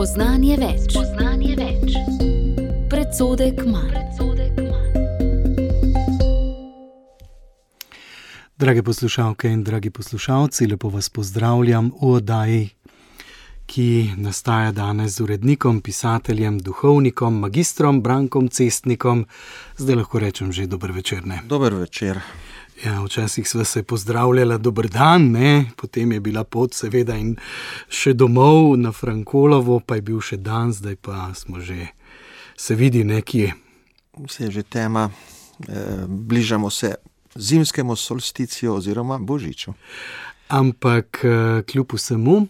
Spoznanje več. Predsodek manj. Drage poslušalke in dragi poslušalci, lepo vas pozdravljam v oddaji, ki nastaja danes z urednikom, pisateljem, duhovnikom, magistrom Brankom Cestnikom. Zdaj lahko rečem že dober večer, ne? Dober večer. Ja, včasih sva se pozdravljala dober dan, ne? Potem je bila pot seveda in še domov na Frankolovo, pa je bil še dan, zdaj pa smo že se vidi nekje. Vse je že tema, bližamo se zimskemu solsticiju oziroma božiču. Ampak kljub vsemu,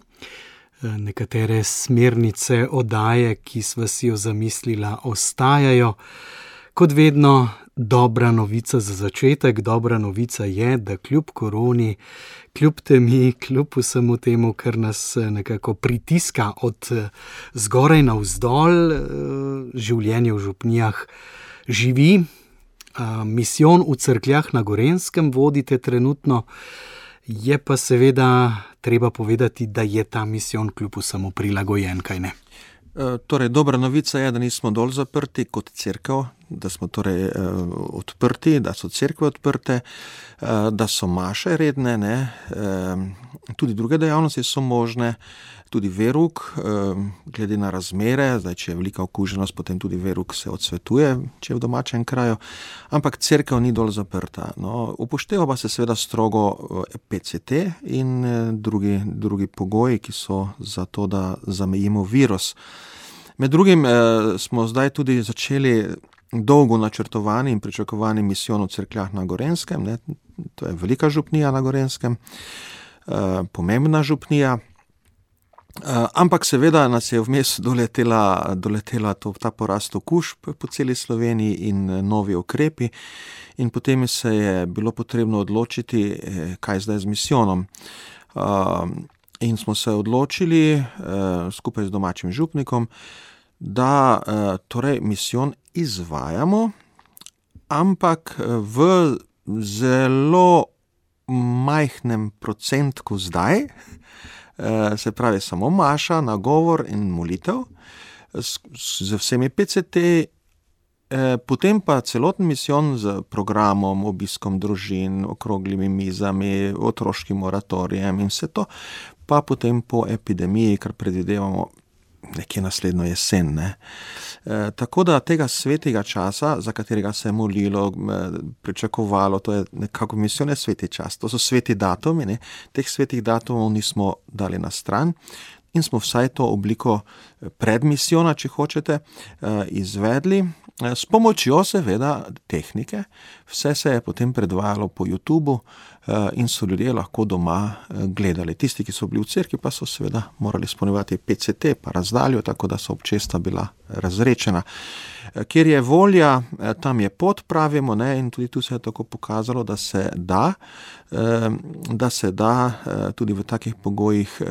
nekatere smernice oddaje, ki sva si jo zamislila, ostajajo. Kot vedno, dobra novica za začetek. Dobra novica je, da kljub koroni, kljub temi, kljub vsemu temu, kar nas nekako pritiska od zgoraj navzdol, življenje v župnijah živi. Misijon v Cerkljah na Gorenjskem vodite trenutno, je pa seveda treba povedati, da je ta misijon kljub vsemu prilagojen, kaj ne? Torej, dobra novica je, da nismo dol zaprti kot cerkev, da smo torej odprti, da so cerkve odprte, da so maše redne, ne? Tudi druge dejavnosti so možne, tudi verouk, glede na razmere, zdaj, če je velika okuženost, potem tudi verouk se odsvetuje, če je v domačem kraju, ampak cerkev ni dol zaprta. No, upošteva pa se seveda strogo PCT in drugi pogoji, ki so za to, da zamejimo virus. Med drugim smo zdaj tudi začeli dolgo načrtovani in pričakovani misijon v Cerkljah na Gorenjskem, ne? To je velika župnija na Gorenjskem, pomembna župnija. Ampak seveda nas je vmes doletela ta porast okužb po celi Sloveniji in novi ukrepi in potem se je bilo potrebno odločiti, kaj zdaj z misijonom. In smo se odločili skupaj z domačim župnikom, da torej misijon izvajamo, ampak v zelo majhnem procentku zdaj, se pravi samo maša, nagovor in molitev, z vsemi PCT, potem pa celoten misijon z programom, obiskom družin, okroglimi mizami, otroškim moratorijem in vse to, pa potem po epidemiji, kar predvidevamo nekje naslednjo jesen, ne. Tako da tega svetega časa, za katerega se je molilo, pričakovalo, to je nekako misijon je sveti čas, to so sveti datumi, ne. Teh svetih datumov nismo dali na stran in smo vsaj to obliko predmisijona, če hočete, izvedli, s pomočjo seveda tehnike. Vse se je potem predvajalo po YouTubu in so ljudje lahko doma gledali. Tisti, ki so bili v cerkvi, pa so seveda morali izpolnjevati PCT, pa razdaljo, tako da so občesta bila razrečena. Kjer je volja, tam je pot, pravimo, ne, in tudi tu se je tako pokazalo, da se da tudi v takih pogojih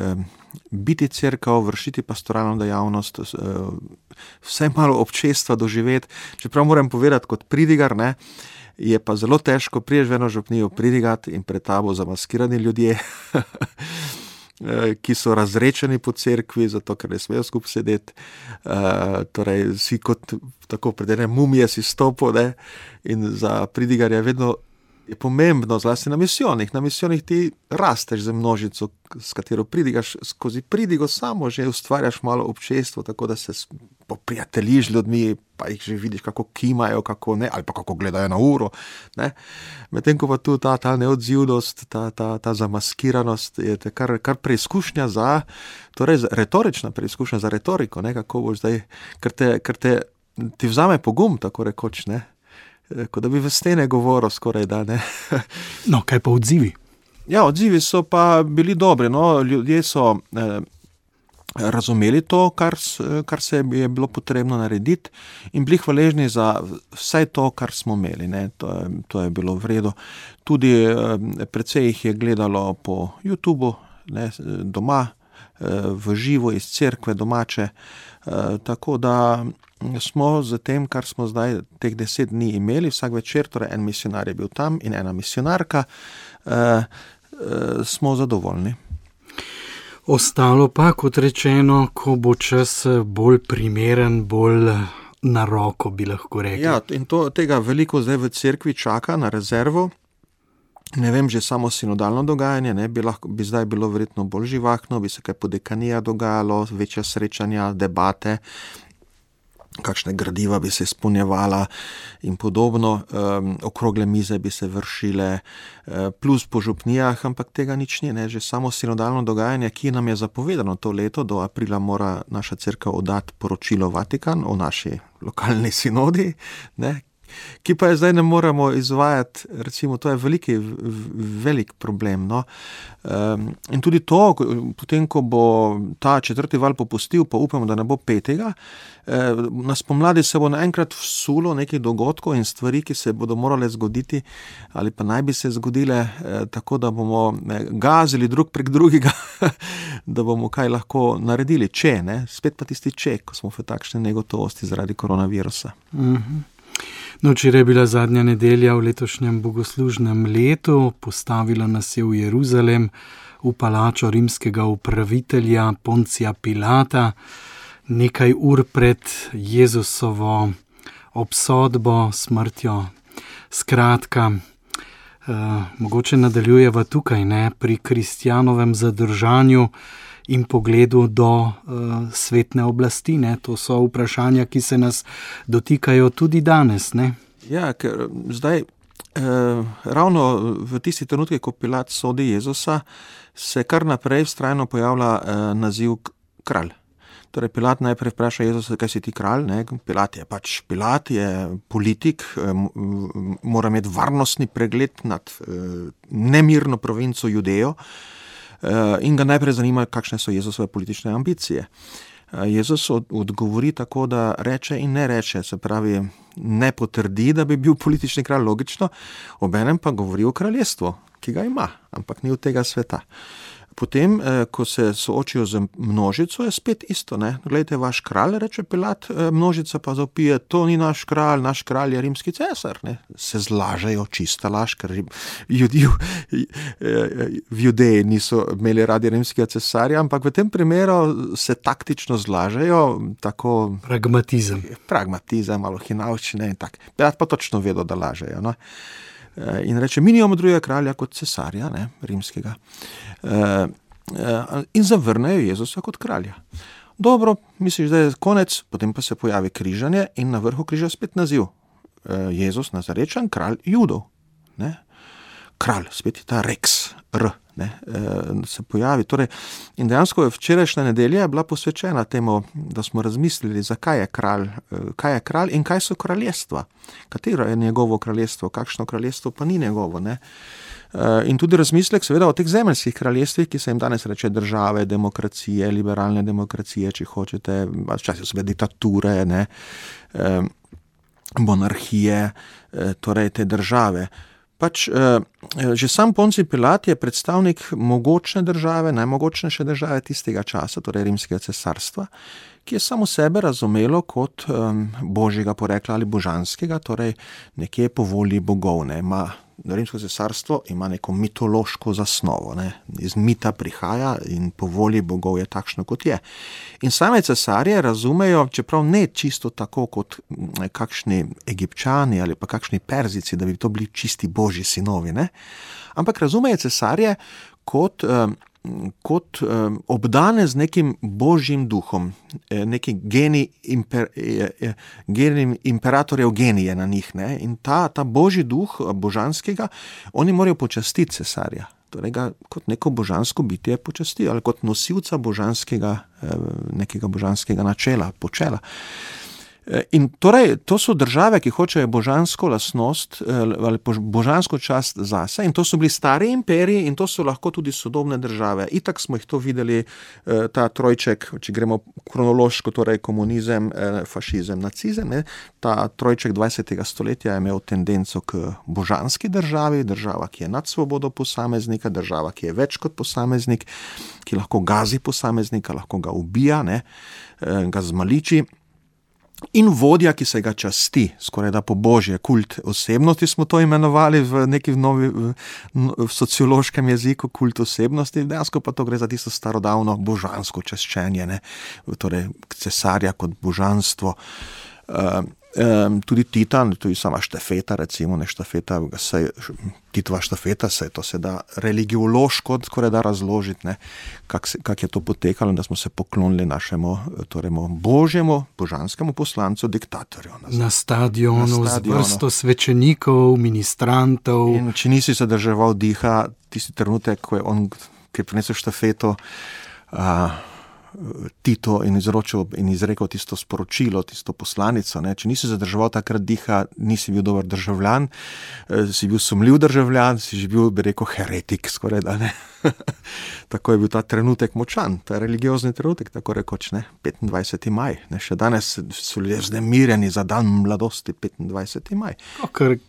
biti cerkev, vršiti pastoralno dejavnost, vsaj malo občestva doživeti. Čeprav moram povedati kot pridigar, ne, je pa zelo težko, prideš v eno župnijo pridigati in pred tabo zamaskirani ljudje, ki so razrečeni po cerkvi, zato ker ne smejo skupaj sedeti. Torej, si kot tako pred ene mumije si stopil, ne, in za pridigarja vedno je pomembno, zlasti na misijonih. Na misijonih ti rasteš za množico, s katero pridigaš, skozi pridigo samo že ustvarjaš malo občestvo, tako da se poprijateljiš z ljudmi, pa jih že vidiš, kako kimajo, kako ne, ali pa kako gledajo na uro, ne. Medtem ko pa tu ta neodzivnost, ta zamaskiranost je kar preizkušnja za, torej retorična preizkušnja za retoriko, ne, kako boš zdaj, ker ti vzame pogum, tako rekoč, ne. Kot da bi v stene govoril skoraj, da ne. No, kaj pa odzivi? Ja, odzivi so pa bili dobri, no, ljudje so razumeli to, kar se je bilo potrebno narediti in bili hvaležni za vse to, kar smo imeli, ne, to je bilo v redu. Tudi precej jih je gledalo po YouTubu, ne, doma, v živo iz cerkve domače, tako da smo z tem, kar smo zdaj teh 10 dni imeli, vsak večer, torej en misionar je bil tam in ena misionarka, smo zadovoljni. Ostalo pa, kot rečeno, ko bo čas bolj primeren, bolj na roko, bi lahko rekli. Ja, in tega veliko zdaj v cerkvi čaka na rezervo. Ne vem, že samo sinodalno dogajanje, ne, bi zdaj bilo verjetno bolj živahno, bi se kaj po dekanijah dogajalo, večja srečanja, debate, kakšne gradiva bi se izpolnjevala in podobno, okrogle mize bi se vršile, plus po župnijah, ampak tega nič ni, ne, že samo sinodalno dogajanje, ki nam je zapovedano to leto, do aprila mora naša cerkev oddati poročilo Vatikan o naši lokalni sinodi, ne, ki pa je zdaj ne moremo izvajati, recimo, to je velik problem, no. In tudi to, potem, ko bo ta 4. val popustil, pa upamo, da ne bo 5., na spomladi se bo naenkrat vsulo nekih dogodkov in stvari, ki se bodo morale zgoditi, ali pa naj bi se zgodile, tako da bomo gazili drug prek drugega, da bomo kaj lahko naredili, če, ne, spet pa tisti če, ko smo v takšni negotovosti zaradi koronavirusa. No, včeraj je bila zadnja nedelja v letošnjem bogoslužnem letu, postavila nas je v Jeruzalem, v palačo rimskega upravitelja Poncija Pilata, nekaj ur pred Jezusovo obsodbo, smrtjo. Skratka, mogoče nadaljujeva tukaj, ne, pri kristjanovem zadržanju in pogledu do svetne oblasti, ne? To so vprašanja, ki se nas dotikajo tudi danes, ne? Ja, ker zdaj ravno v tisti trenutki, ko Pilat sodi Jezusa, se kar naprej vztrajno pojavlja naziv kralj. Torej, Pilat najprej vpraša Jezusa, kaj si ti kralj, ne? Pilat je politik, mora imeti varnostni pregled nad nemirno provinco Judejo, in ga najprej zanima, kakšne so Jezusove politične ambicije. Jezus odgovori tako, da reče in ne reče, se pravi, ne potrdi, da bi bil politični kralj, logično, obenem pa govori o kraljestvu, ki ga ima, ampak ni od tega sveta. Potem, ko se soočijo z množico, je spet isto, ne. Glejte, vaš kralj, reče Pilat, množica pa zavpije, to ni naš kralj je rimski cesar, ne. Se zlažejo, čista laž, ker v Judeji niso imeli radi rimskega cesarja, ampak v tem primeru se taktično zlažejo, tako... Pragmatizem, malo hinavščine in tak. Pilat pa točno vedo, da lažejo, no. In reče, mi nimamo drugega kralja kot cesarja, ne, rimskega. In zavrnejo Jezusa kot kralja. Dobro, misliš, da je konec, potem pa se pojavi križanje in na vrhu križa spet naziv. Jezus, Nazarečan, kralj Judov. Ne? Kralj, spet je ta Rex, ne, se pojavi. Torej, in dejansko včerajšnja nedelja je bila posvečena temu, da smo razmislili, zakaj je kralj in kaj so kraljestva. Katero je njegovo kraljestvo, kakšno kraljestvo pa ni njegovo. Ne? In tudi razmislek seveda o teh zemeljskih kraljestvih, ki se jim danes reče države, demokracije, liberalne demokracije, či hočete, včasih so diktature, ne, monarhije, torej te države. Že sam Poncij Pilat je predstavnik mogočne države, najmogočnejše države tistega časa, torej rimskega cesarstva, ki je samo sebe razumelo kot božjega porekla ali božanskega, torej nekje po volji bogov, ne. Rimsko cesarstvo ima neko mitološko zasnovo, ne. Iz mita prihaja in po volji bogov je takšno, kot je. In same cesarje razumejo, čeprav ne čisto tako kot kakšni Egipčani ali pa kakšni Perzici, da bi to bili čisti božji sinovi, ne. Ampak razumejo cesarje kot obdane z nekim božjim duhom, neki genij imperatorjev genije na njih, ne? In ta božji duh božanskega, oni morajo počastiti cesarja, torej ga kot neko božansko bitje počastijo, ali kot nosilca nekega božanskega načela, počela. In torej, to so države, ki hočejo božansko lastnost ali božansko čast zase, in to so bili stari imperiji in to so lahko tudi sodobne države. Itak smo jih to videli, ta trojček, če gremo kronološko, torej komunizem, fašizem, nacizem, ne, ta trojček 20. stoletja je imel tendenco k božanski državi, država, ki je nad svobodo posameznika, država, ki je več kot posameznik, ki lahko gazi posameznika, lahko ga ubija, ne, ga zmaliči. in vodja, ki se ga časti, skoraj da po božje, kult osebnosti smo to imenovali v neki v sociološkem jeziku, kult osebnosti, dejansko pa to gre za tisto starodavno božansko čaščenje, ne? Torej cesarja kot božanstvo. Tudi Titan, tudi sama štafeta, recimo, ne štafeta, Titova štafeta, to se da religiološko skoraj da razložiti, ne, kak je to potekalo, da smo se poklonili našemu, torej božjemu, božanskemu poslancu, diktatorju. Na stadionu z vrsto svečenikov, ministrantov. In če nisi zadrževal diha, tisti trenutek, ko je on, ki je prinesel štafeto, Tito in izrekel tisto sporočilo, tisto poslanico, ne? Če nisi zadrževal takrat diha, nisi bil dober državljan, si bil sumljiv državljan, si bil, bi rekel, heretik skoraj, da ne. Tako je bil ta trenutek močan, ta religiozni trenutek, tako rekoč, ne, 25. maj. Ne? Še danes so ljudje vznemirjeni za dan mladosti, 25. maj.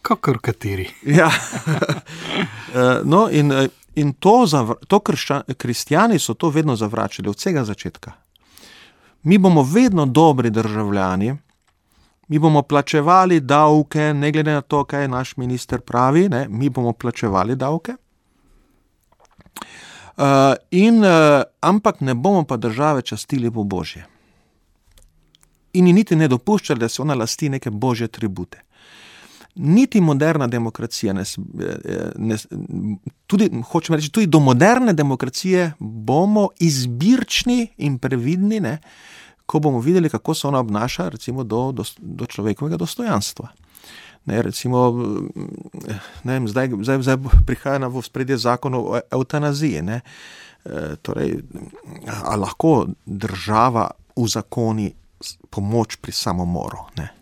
Kakor kateri. Ja. No, in kristjani so to vedno zavračali od vsega začetka. Mi bomo vedno dobri državljani, mi bomo plačevali davke, ne glede na to, kaj naš minister pravi, ne, mi bomo plačevali davke. Ampak ne bomo pa države častili po božje. In niti ne dopuščali, da se ona lasti neke božje tribute. Niti moderna demokracija, hočem reči, tudi do moderne demokracije bomo izbirčni in previdni, ne, ko bomo videli, kako se ona obnaša, recimo, do človekovega dostojanstva. Ne, recimo, ne vem, zdaj prihaja v ospredje zakon o evtanaziji, ne. Torej, a lahko država uzakoni pomoč pri samomoru, ne.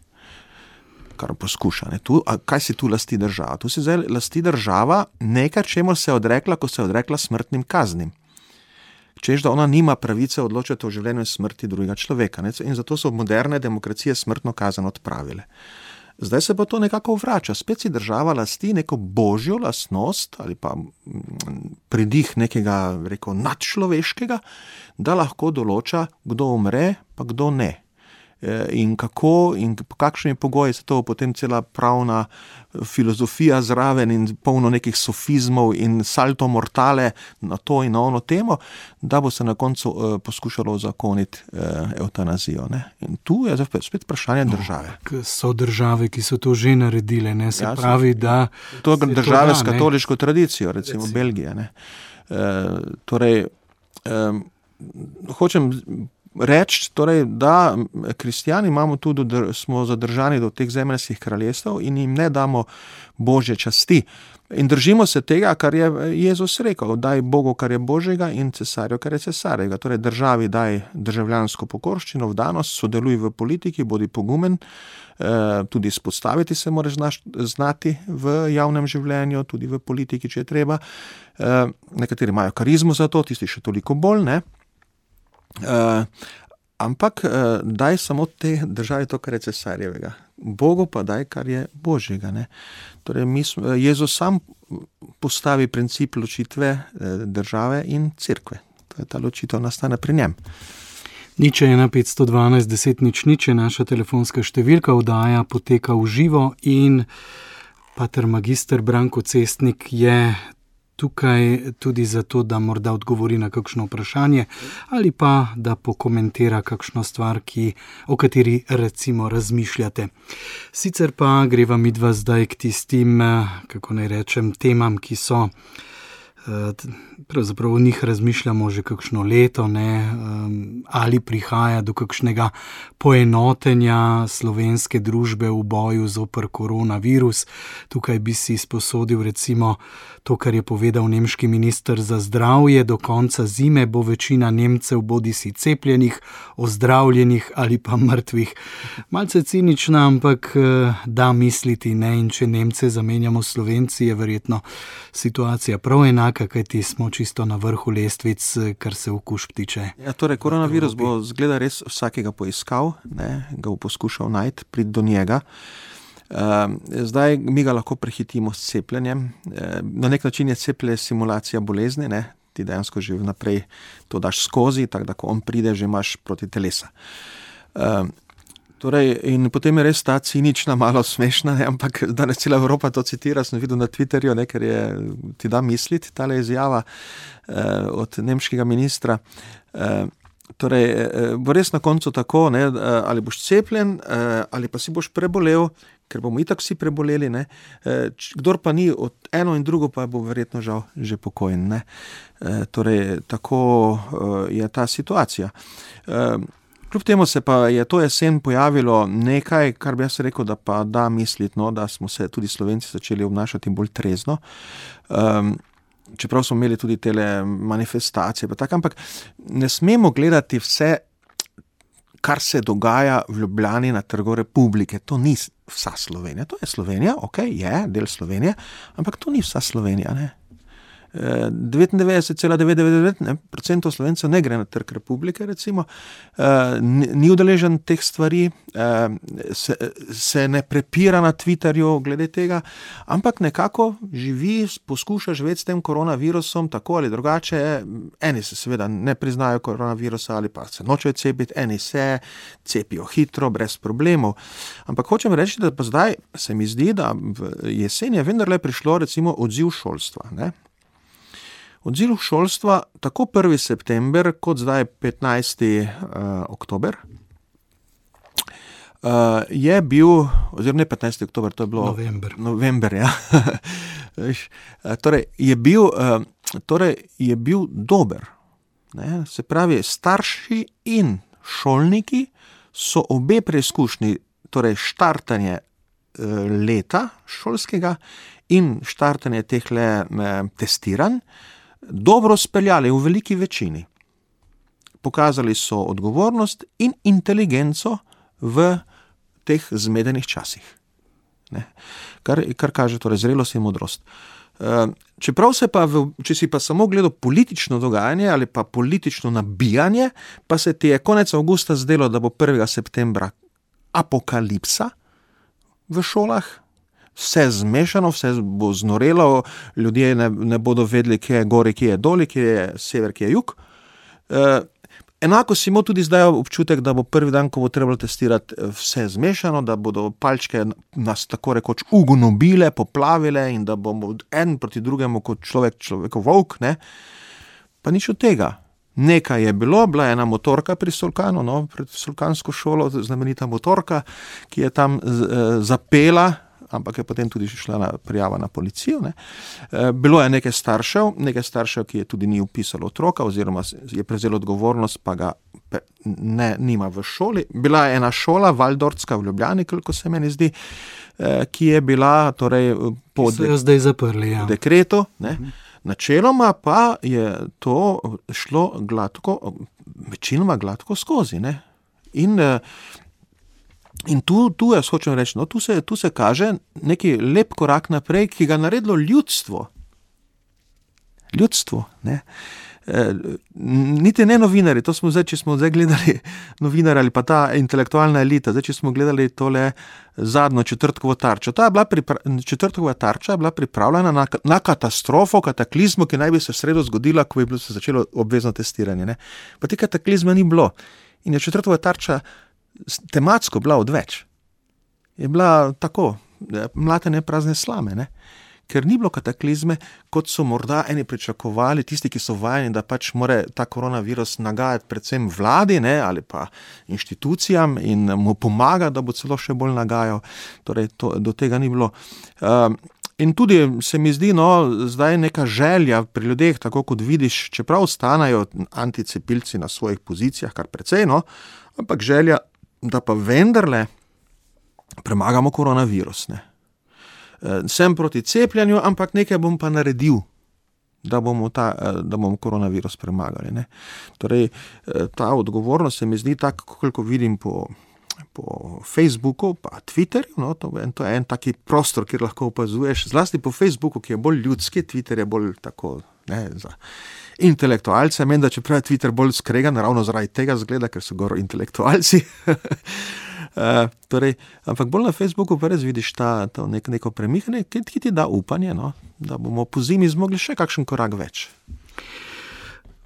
Kar poskuša. Ne. Kaj si tu lasti država? Tu si zdaj lasti država nekaj, čemu se je odrekla, ko se je odrekla smrtnim kaznim. Češ, da ona nima pravice odločati o življenju in smrti drugega človeka. Ne. In zato so moderne demokracije smrtno kazen odpravile. Zdaj se pa to nekako vrača. Spet si država lasti neko božjo lastnost ali pa pridih nekega, rekel, nadčloveškega, da lahko določa, kdo umre, pa kdo ne. In kako in po kakšnimi pogoji se to potem cela pravna filozofija zraven in polno nekih sofizmov in salto mortale na to in na ono temo, da bo se na koncu poskušalo uzakoniti evtanazijo. Ne? In tu je spet vprašanje države. So države, ki so to že naredile, ne? Se pravi, da... To je države s katoliško tradicijo, recimo Belgija. Ne? Torej, hočem reči, torej, da kristjani smo zadržani do teh zemeljskih kraljestev in jim ne damo božje časti. In držimo se tega, kar je Jezus rekel, daj Bogu, kar je božjega, in cesarju, kar je cesarjega. Torej, državi daj državljansko pokorščino, vdanost, sodeluj v politiki, bodi pogumen, tudi izpostaviti se moraš znati v javnem življenju, tudi v politiki, če je treba. Nekateri imajo karizmo za to, tisti še toliko bolj, ne. Ampak daj samo te državi to, kar je cesarjevega. Bogu pa daj, kar je božjega. Ne? Torej, Jezus sam postavi princip ločitve države in cerkve. Ta ločitev nastane pri njem. Nič 1 512 10 0 je naša telefonska številka, oddaja poteka v živo in pater magister Branko Cestnik je tukaj tudi zato, da morda odgovori na kakšno vprašanje ali pa da pokomentira kakšno stvar, o kateri recimo razmišljate. Sicer pa greva midva zdaj k tistim, kako naj rečem, temam, ki so, pravzaprav o njih razmišljamo že kakšno leto, ne, ali prihaja do kakšnega poenotenja slovenske družbe v boju zoper koronavirus. Tukaj bi si izposodil recimo to, kar je povedal nemški minister za zdravje, do konca zime bo večina Nemcev bodisi cepljenih, ozdravljenih ali pa mrtvih. Malce cinična, ampak da misliti, ne, in če Nemce zamenjamo Slovenci, je verjetno situacija prav enaka, kajti smo čisto na vrhu lestvic, kar se okužb tiče. Ja, torej, koronavirus bo zgleda res vsakega poiskal, ne, ga bo poskušal najti, priti do njega. Zdaj mi ga lahko prehitimo s cepljenjem. Na nek način je cepljenje simulacija bolezni, ne? Ti dejansko že vnaprej to daš skozi, tako da ko on pride, že imaš proti telesa. Torej, in potem je res ta cinična, malo smešna, ne? Ampak danes cela Evropa to citira, sem videl na Twitterju, ne? Ker ti da misliti tale izjava od nemškega ministra. Torej, bo res na koncu tako, ne? Ali boš cepljen, ali pa si boš prebolel, ker bomo itak vsi preboleli, ne? Kdor pa ni od eno in drugo, pa bo verjetno žal že pokojen, ne? Torej, tako je ta situacija. Kljub temu se pa je to jesen pojavilo nekaj, kar bi jaz rekel, da pa da misliti, no, da smo se tudi Slovenci začeli obnašati bolj trezno. Čeprav smo imeli tudi tele manifestacije, pa tako, ampak ne smemo gledati vse, kar se dogaja v Ljubljani na Trgu Republike. To ni vsa Slovenija. To je Slovenija, je del Slovenije, ampak to ni vsa Slovenija, ne. 99,999% Slovencev ne gre na Trg Republike, recimo, ni udeležen teh stvari, se ne prepira na Twitterju glede tega, ampak nekako živi, poskuša živeti s tem koronavirusom tako ali drugače. Eni se seveda ne priznajo koronavirusa ali pa se nočejo cepiti, eni se cepijo hitro, brez problemov. Ampak hočem reči, da pa zdaj se mi zdi, da v jeseni je vendarle prišlo recimo odziv šolstva, ne. Odziv šolstva, tako 1. september, kot zdaj 15. oktober, je bil, oziroma ne 15. oktober, to je bilo november, ja. Torej, je bil dober. Ne? Se pravi, starši in šolniki so obe preizkušnji, torej štartanje leta šolskega in štartanje tehle testiranj, dobro speljali v veliki večini. Pokazali so odgovornost in inteligenco v teh zmedenih časih. Ne? Kar kaže torej zrelost in modrost. Čeprav če si pa samo gledal politično dogajanje ali pa politično nabijanje, pa se ti je konec avgusta zdelo, da bo 1. septembra apokalipsa v šolah, vse zmešano, vse bo znorelo, ljudje ne bodo vedeli, kje je gori, kje je doli, kje je sever, kje je jug. Enako si imel tudi zdaj občutek, da bo prvi dan, ko bo trebalo testirati, vse zmešano, da bodo palčke nas tako rekoč ugonobile, poplavile in da bomo en proti drugemu kot človekov volk, ne. Pa nič od tega. Nekaj je bilo, bila je ena motorka pri Solkanu, no, pred Solkansko šolo, znamenita motorka, ki je tam zapela, ampak je potem tudi šla prijava na policijo, ne. Bilo je nekaj staršev, ki je tudi ni vpisalo otroka, oziroma je prevzelo odgovornost, pa ga nima v šoli. Bila je ena šola, Valdortska v Ljubljani, koliko se meni zdi, ki je bila torej po zdaj zaprli, ja. dekretu, ne. Načeloma pa je to šlo večinoma gladko skozi, ne. In tu jaz hočem reči, no, tu se kaže neki lep korak naprej, ki ga naredilo ljudstvo. Ljudstvo, ne. Niti ne novinari, to smo zdaj, če smo zdaj gledali novinari ali pa ta intelektualna elita, zdaj, če smo gledali tole zadnjo četrtkovo tarčo. Četrtkova tarča je bila pripravljena na katastrofo, kataklizmo, ki naj bi se v sredo zgodila, ko bi se začelo obvezno testiranje, ne. Pa te kataklizma ni bilo. In je četrtkova tarča tematsko bila odveč. Je bila tako, mlatenje prazne slame, ne. Ker ni bilo kataklizme, kot so morda eni pričakovali, tisti, ki so vajeni, da pač more ta koronavirus nagajati predvsem vladi, ne, ali pa inštitucijam in mu pomaga, da bo celo še bolj nagajal. Torej, do tega ni bilo. In tudi se mi zdi, no, zdaj neka želja pri ljudeh, tako kot vidiš, čeprav ostanajo anticepilci na svojih pozicijah, kar precej, no, ampak želja, da pa vendarle premagamo koronavirus, ne. Sem proti cepljenju, ampak nekaj bom pa naredil, da bomo koronavirus premagali, ne. Torej, ta odgovornost se mi zdi tako, koliko vidim po Facebooku, pa Twitterju, no, to je en taki prostor, kjer lahko opazuješ, zlasti po Facebooku, ki je bolj ljudski, Twitter je bolj tako, ne, za intelektualce, meni, da čeprav je Twitter bolj skregan, ravno zaradi tega zgleda, ker so gor intelektualci. Torej, ampak bolj na Facebooku pa res vidiš to neko premikanje, ki ti da upanje, no, da bomo po zimi zmogli še kakšen korak več.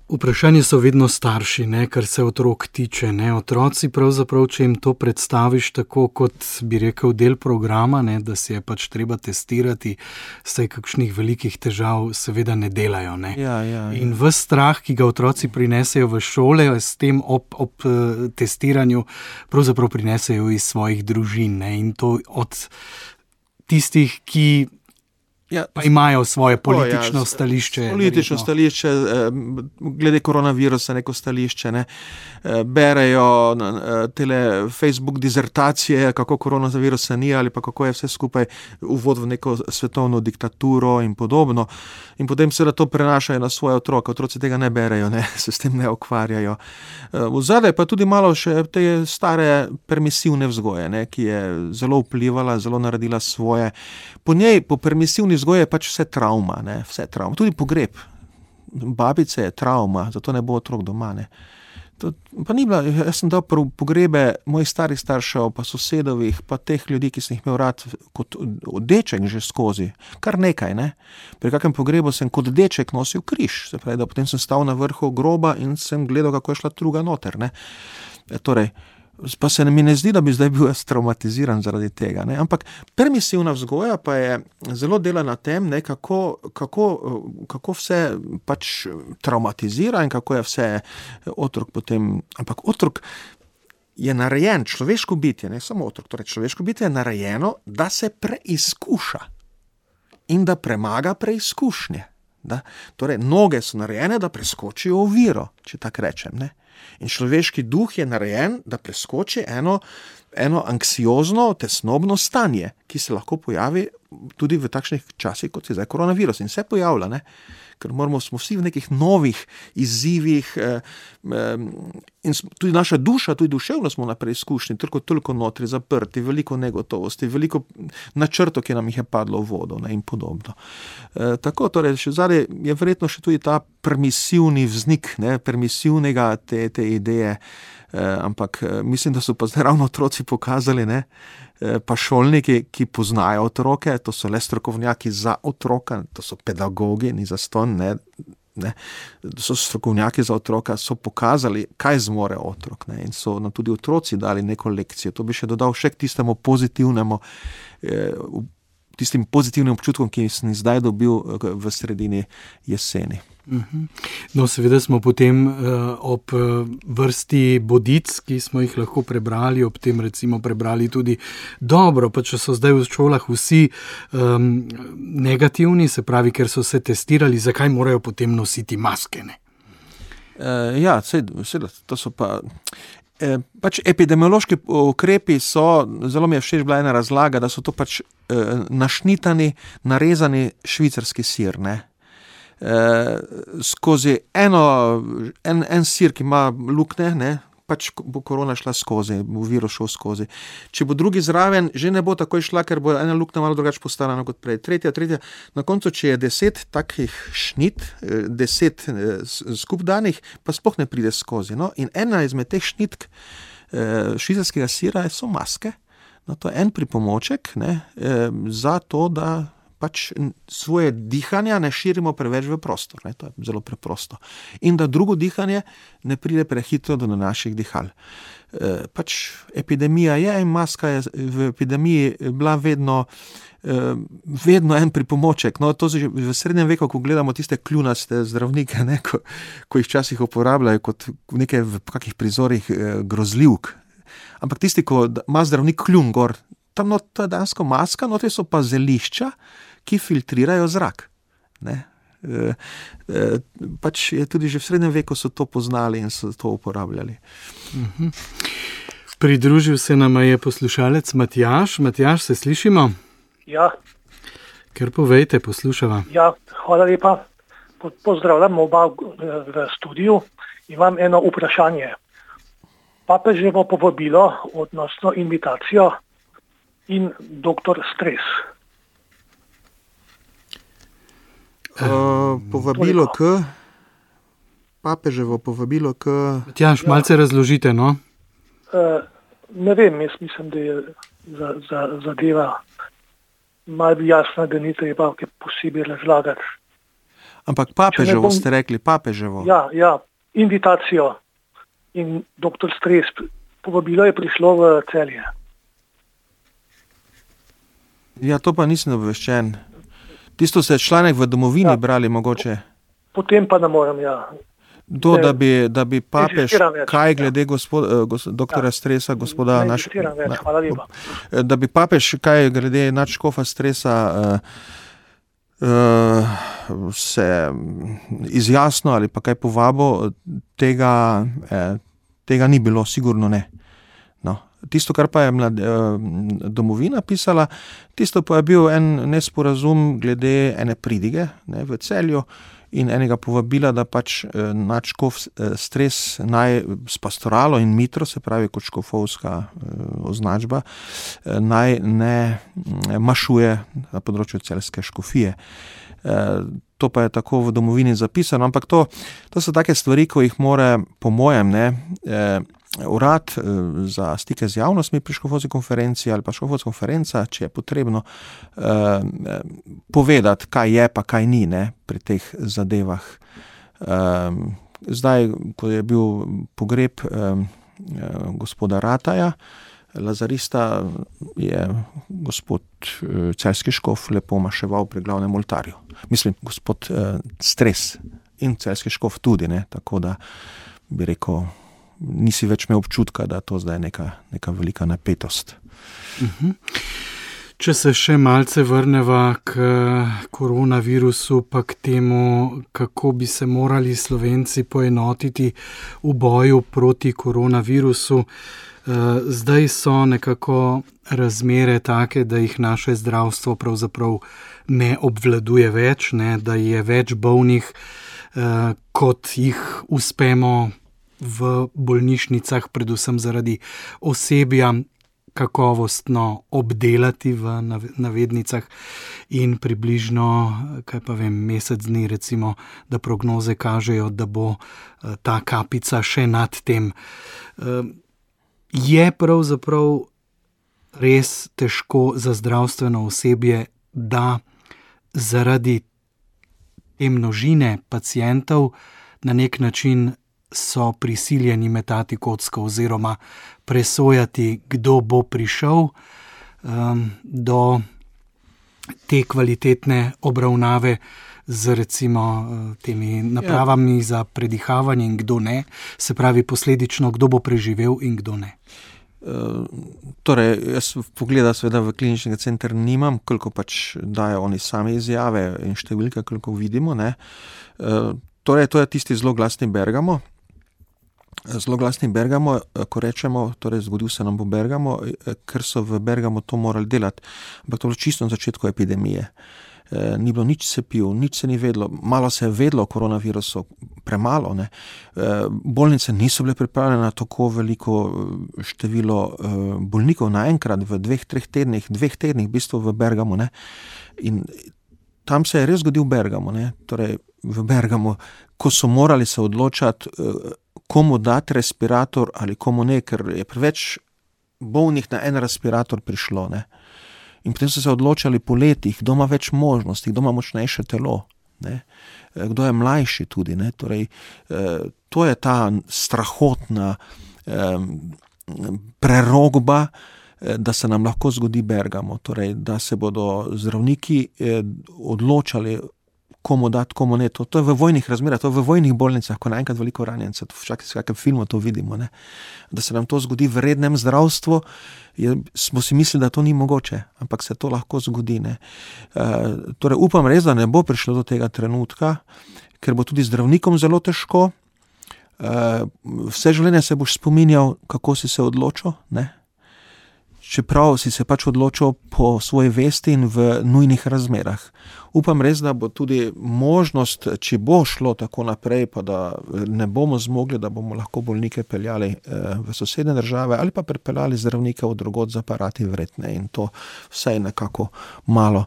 Vprašanje so vedno starši, ne, kar se otrok tiče. Ne. Otroci pravzaprav, če jim to predstaviš tako, kot bi rekel del programa, ne, da se je pač treba testirati, saj kakšnih velikih težav seveda ne delajo. Ne. Ja. In ves strah, ki ga otroci prinesejo v šole, s tem ob testiranju pravzaprav prinesejo iz svojih družin. Ne. In to od tistih, ki pa imajo svoje politično stališče. Politično stališče, glede koronavirusa neko stališče, ne. Berejo tele Facebook dizertacije, kako koronavirusa ni ali pa kako je vse skupaj uvod v neko svetovno diktaturo in podobno. In potem seveda to prenašajo na svoje otroke. Otroci tega ne berejo, ne, se s tem ne ukvarjajo. Vzadaj pa tudi malo še te stare permisivne vzgoje, ne, ki je zelo vplivala, zelo naredila svoje. Po njej, po permisivni vzgoji je pač vse travma, ne, vse travma. Tudi pogreb babice je travma, zato ne bo otrok doma, ne. Pa ni bila, jaz sem dal pogrebe mojih starih staršev, pa sosedovih, pa teh ljudi, ki sem jih imel rad kot deček že skozi. Kar nekaj, ne. Pri kakem pogrebu sem kot deček nosil križ, se pravi, da potem sem stal na vrhu groba in sem gledal, kako je šla truga noter, ne. Torej, pa se mi ne zdi, da bi zdaj bil jaz traumatiziran zaradi tega, ne. Ampak permisivna vzgoja pa je zelo dela na tem, ne, kako vse pač traumatizira in kako je vse otrok potem, ampak otrok je narejen, človeško bitje, ne samo otrok, torej človeško bitje je narejeno, da se preizkuša in da premaga preizkušnje. Torej, noge so narejene, da preskočijo oviro, če tako rečem, ne. In človeški duh je narejen, da preskoči eno anksiozno, tesnobno stanje, ki se lahko pojavi tudi v takšnih časih, kot je zdaj koronavirus. In se pojavlja, ne? Ker smo vsi v nekih novih izzivih in tudi naša duša, tudi duševno smo na preizkušnji, toliko notri zaprti, veliko negotovosti, veliko načrtov, ki nam jih je padlo v vodo, ne, in podobno. Tako, torej, še zadaj je verjetno še tudi ta permisivni vznik, ne, permisivnega te ideje, ampak mislim, da so pa zdaj ravno otroci pokazali, ne, pa šolniki, ki poznajo otroke, to so le strokovnjaki za otroka, to so pedagogi, ni zastonj, ne, so strokovnjaki za otroka, so pokazali, kaj zmore otrok, ne, in so nam tudi otroci dali neko lekcijo. To bi še dodal še k tistemu pozitivnemu, tistim pozitivnim občutkom, ki sem zdaj dobil v sredini jeseni. No, seveda smo potem ob vrsti bodic, ki smo jih lahko prebrali, ob tem recimo prebrali tudi dobro, pa če so zdaj v šolah vsi negativni, se pravi, ker so se testirali, zakaj morajo potem nositi maske, ne? Ja, seveda, to so pa... Pač epidemiološki ukrepi so, zelo mi je všeč bila ena razlaga, da so to pač našnitani, narezani švicarski sir, ne. Skozi en sir, ki ima luknje, ne, pač bo korona šla skozi, bo virus šel skozi. Če bo drugi zraven, že ne bo takoj šla, ker bo ena luknja malo drugače postarana kot prej. Tretja. Na koncu, če je 10 takih šnit, 10 skup danih, pa sploh ne pride skozi. No? In ena izmed teh šnitk švicarskega sira so maske. No, to je en pripomoček, ne, za to, da pač svoje dihanja ne širimo preveč v prostor, ne, to je zelo preprosto. In da drugo dihanje ne pride prehitro do naših dihal. Pač epidemija je in maska je v epidemiji bila vedno en pripomoček. No, to v srednjem veku, ko gledamo tiste kljunaste zdravnike, ne, ko jih včasih uporabljajo kot nekaj v kakih prizorih grozljivk. Ampak tisti, ko ima zdravnik kljun gor, tam to je dejansko maska, notri so pa zelišča, ki filtrirajo zrak. Ne? Pač je tudi že v srednjem veku so to poznali in so to uporabljali. Pridružil se nam je poslušalec Matjaž. Matjaž, se slišimo? Ja. Ker povejte, poslušava. Ja, hvala lepa. Pozdravljam oba v studiu. Imam eno vprašanje. Papeževo povabilo, odnosno invitacijo in doktor Stres. Povabilo k... Papeževo povabilo k... Matjaž, malce razložite, no? Ne vem, jaz mislim, da je zadeva malo jasna, da ni treba posebej razlagati. Ampak papeževo ste rekli, papeževo. Ja, invitacijo in doktor Stres, povabilo je prišlo v Celje. Ja, to pa nisem obveščen. Tisto ste članek v Domovini brali mogoče. Potem pa ne morem, ja. To, da bi papež, kaj glede doktora Stresa, gospoda hvala lepa. Da bi papež, kaj glede nadškofa Stresa se izjasnil ali pa kaj povabo, tega ni bilo, sigurno ne. No. Tisto, kar pa je Domovina pisala, tisto pa je bil en nesporazum glede ene pridige, ne, v Celju in enega povabila, da pač nadškof Stres naj s pastoralo in mitro, se pravi kot škofovska označba, naj ne mašuje na področju celjske škofije. To pa je tako v Domovini zapisano, ampak to so take stvari, ko jih mora, po mojem, urad za stike z javnostmi pri škofovski konferenci ali pa škofovska konferenca, če je potrebno, povedati, kaj je pa kaj ni, ne, pri teh zadevah. Zdaj, ko je bil pogreb gospoda Rataja, lazarista, je gospod celjski škof lepo maševal pri glavnem oltarju. Mislim, gospod Stres in celjski škof tudi, ne, tako da bi rekel, nisi več imel občutka, da to zdaj neka velika napetost. Če se še malce vrneva k koronavirusu, pa k temu, kako bi se morali Slovenci poenotiti v boju proti koronavirusu. Zdaj so nekako razmere take, da jih naše zdravstvo pravzaprav ne obvladuje več, ne, da je več bolnih, kot jih uspemo v bolnišnicah, predvsem zaradi osebja, kakovostno obdelati v navednicah in približno, mesec dni recimo, da prognoze kažejo, da bo ta kapica še nad tem. Je pravzaprav res težko za zdravstveno osebje, da zaradi te množine pacientov na nek način so prisiljeni metati kocko oziroma presojati, kdo bo prišel do te kvalitetne obravnave z recimo temi napravami za predihavanje in kdo ne, se pravi posledično, kdo bo preživel in kdo ne. Torej, jaz pogleda seveda v kliničnega center nimam, koliko pač dajo oni sami izjave in številke, koliko vidimo, ne. Torej, to je tisti zloglasni Bergamo. Zloglasni Bergamo, ko rečemo, torej zgodil se nam bo Bergamo, ker so v Bergamo to morali delati, ampak to je bilo čisto na začetku epidemije. Ni bilo nič cepiv, nič se ni vedlo, malo se je vedlo o koronavirusu, premalo, ne. Bolnice niso bile pripravljene na tako veliko število bolnikov naenkrat v 2-3 tednih, 2 tednih v bistvu v Bergamo, ne. In tam se je res zgodil Bergamo, ne. Torej, v Bergamo, ko so morali se odločati, komu dati respirator ali komu ne, ker je preveč bolnih na en respirator prišlo, ne. In potem so se odločali po letih, kdo ima več možnosti, kdo ima močnejše telo, ne. Kdo je mlajši tudi, ne. Torej, to je ta strahotna prerogba, da se nam lahko zgodi Bergamo, torej, da se bodo zdravniki odločali, komu dati, komu ne. To je v vojnih razmerah, to je v vojnih bolnicah, ko naenkrat veliko ranjencev, v vsakem filmu to vidimo, ne. Da se nam to zgodi v rednem zdravstvu, smo si mislili, da to ni mogoče, ampak se to lahko zgodi, ne. Torej, upam res, da ne bo prišlo do tega trenutka, ker bo tudi zdravnikom zelo težko. Vse življenje se boš spominjal, kako si se odločil, ne. Čeprav si se pač odločil po svoji vesti in v nujnih razmerah. Upam res, da bo tudi možnost, če bo šlo tako naprej, pa da ne bomo zmogli, da bomo lahko bolnike peljali v sosednje države ali pa pripeljali zdravnike od drugod z aparati vredne in to vsaj nekako malo,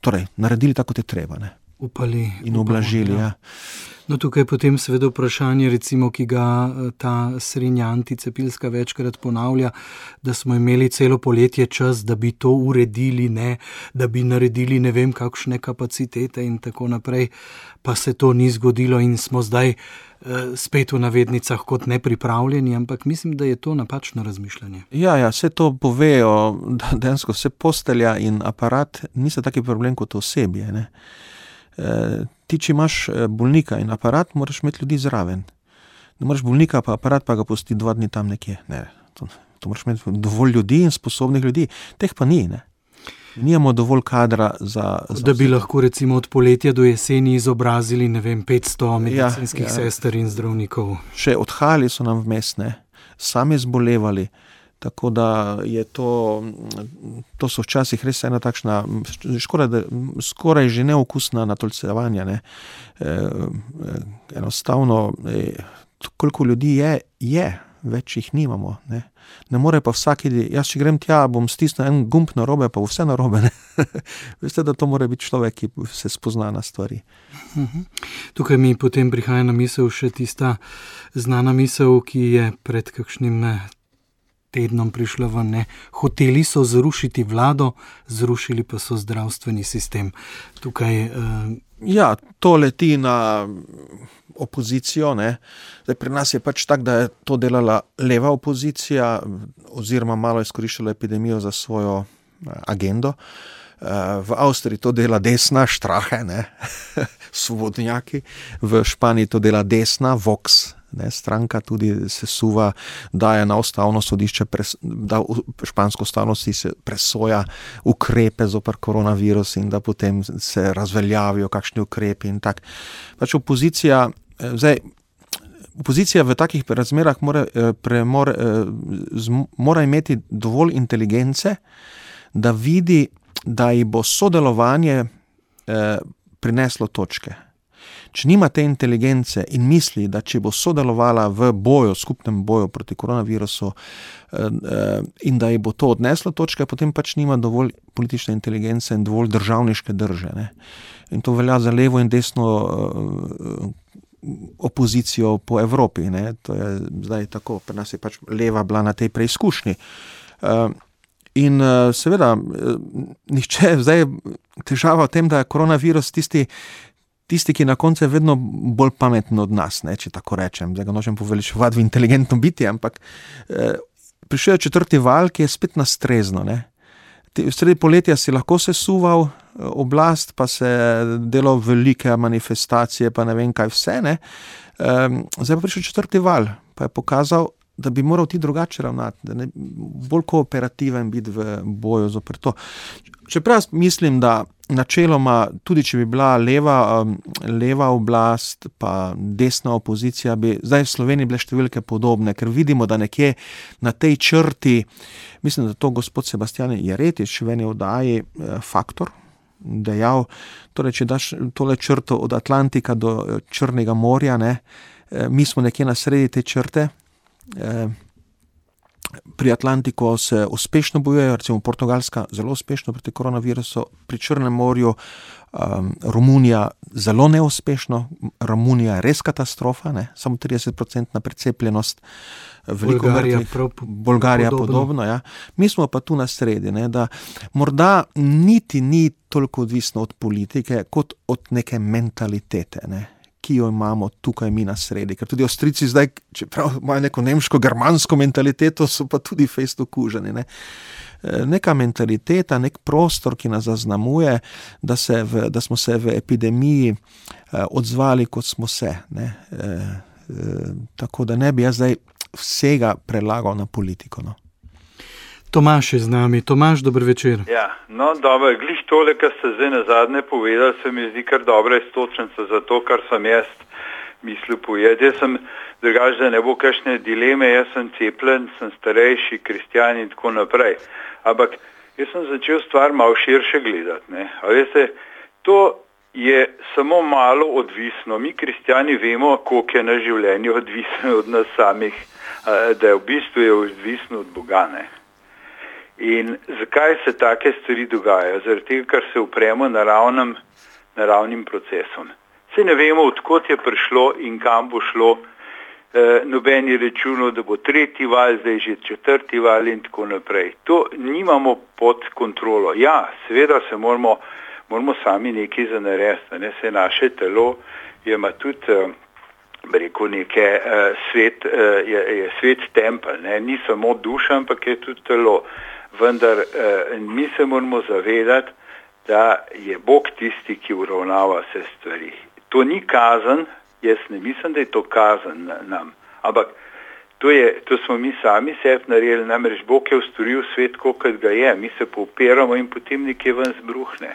torej, naredili tako, kot je treba, ne. upali in ublažili. Ja. No, tukaj potem seveda vprašanje, recimo, ki ga ta srednja anticepilska večkrat ponavlja, da smo imeli celo poletje čas, da bi to uredili, ne, da bi naredili ne vem kakšne kapacitete in tako naprej, pa se to ni zgodilo in smo zdaj spet v navednicah kot nepripravljeni, ampak mislim, da je to napačno razmišljanje. Ja, vse to povejo, da dejansko vse postelja in aparat niso taki problem kot osebje, ne. Ti, če imaš bolnika in aparat, moraš imeti ljudi zraven. Ne moraš bolnika pa aparat, pa ga pusti 2 dni tam nekje. Ne, to moraš imeti dovolj ljudi in sposobnih ljudi. Teh pa ni, ne. Nijamo dovolj kadra za da bi lahko recimo od poletja do jeseni izobrazili, ne vem, 500 medicinskih sester in zdravnikov. Še odhajali so nam vmes, ne. Sami zbolevali. Tako da je to so včasih res ena takšna, skoraj že neokusna natolcevanja, ne. Enostavno, koliko ljudi je, več jih nimamo, ne. Ne more pa vsak, jaz če grem tja, bom stisnil en gumb narobe, pa vse narobe, ne. Veste, da to mora biti človek, ki se spozna na stvari. Tukaj mi potem prihaja na misel še tista znana misel, ki je pred kakšnim tednom prišla ven, ne. Hoteli so zrušiti vlado, zrušili pa so zdravstveni sistem. Tukaj Ja, to leti na opozicijo, ne. Zdaj, pri nas je pač tak, da je to delala leva opozicija, oziroma malo izkoriščala epidemijo za svojo agendo. V Avstriji to dela desna, Strache, ne, svobodnjaki. V Španiji to dela desna, Vox, ne, stranka tudi sesuva, daje na ustavno sodišče, da špansko ustavno sodišče presoja ukrepe zoper koronavirus in da potem se razveljavijo kakšni ukrepi in tak. Pač opozicija v takih razmerah mora imeti dovolj inteligence, da vidi, da ji bo sodelovanje prineslo točke. Če nima te inteligence in misli, da če bo sodelovala v skupnem boju proti koronavirusu in da ji bo to odneslo točke, potem pač nima dovolj politične inteligence in dovolj državniške drže, ne. In to velja za levo in desno opozicijo po Evropi, ne. To je zdaj tako, pri nas je pač leva bila na tej preizkušnji. In seveda, nihče zdaj težava v tem, da je koronavirus tisti, ki na koncu je vedno bolj pameten od nas, ne, če tako rečem. Zdaj ga nočem poveličevati v inteligentno biti, ampak prišel je 4. val, ki je spet nastrezno, ne. Sredi poletja si lahko sesuval oblast, pa se delal velike manifestacije, pa ne vem kaj vse, ne. Zdaj pa prišel 4. val, pa je pokazal, da bi moral ti drugače ravnati, da ne bolj kooperativen biti v boju zoper to. Čeprav mislim, da načeloma, tudi če bi bila leva oblast, pa desna opozicija, bi zdaj v Sloveniji bile številke podobne, ker vidimo, da nekje na tej črti, mislim, da to gospod Sebastijan Jeretič v eni oddaji Faktor dejal, torej, če daš tole črto od Atlantika do Črnega morja, ne, mi smo nekje na sredi te črte. Pri Atlantiku se uspešno bojujejo, recimo Portugalska zelo uspešno proti koronavirusu, pri Črnem morju Romunija zelo neuspešno, Romunija je res katastrofa, ne, samo 30% precepljenost, veliko mrtvih, Bolgarija podobno, ja. Mi smo pa tu na sredi, ne, da morda niti ni toliko odvisno od politike, kot od neke mentalitete, ne, ki jo imamo tukaj mi na sredi. Ker tudi Avstrijci zdaj, čeprav imajo neko nemško-germansko mentaliteto, so pa tudi fejst okuženi, ne. Neka mentaliteta, nek prostor, ki nas zaznamuje, da smo se v epidemiji odzvali, kot smo se, ne. Tako da ne bi jaz zdaj vsega prelagal na politiko, no. Tomaž je z nami. Tomaž, dober večer. Ja, no, dobro, glih tole, kar ste zdaj nazadnje povedali, se mi zdi kar dobra istočnica za to, kar sem jaz mislil povedati. Jaz sem drugače, da ne bo kakšne dileme, jaz sem cepljen, sem starejši, kristjan in tako naprej. Ampak jaz sem začel stvar malo širše gledati, ne. A veste, to je samo malo odvisno. Mi kristjani vemo, koliko je na življenju odvisno od nas samih, da je v bistvu odvisno od Boga, ne. In zakaj se take stvari dogajajo? Zaradi tega, ker se upremo naravnim naravnim procesom. Se ne vemo, odkot je prišlo in kam bo šlo. Noben je računal, da bo 3. val, zdaj že 4. val in tako naprej. To nimamo pod kontrolo. Ja, seveda se moramo sami nekaj za narediti. Ne? Se naše telo ima tudi, rekel neke, je svet tempelj. Ne? Ni samo duša, ampak je tudi telo. Vendar mi se moramo zavedati, da je Bog tisti, ki uravnava vse stvari. To ni kazen. Jaz ne mislim, da je to kazen nam, ampak to smo mi sami sebi naredili, namreč Bog je ustvaril svet, kot ga je, mi se popiramo in potem nekje ven zbruhne.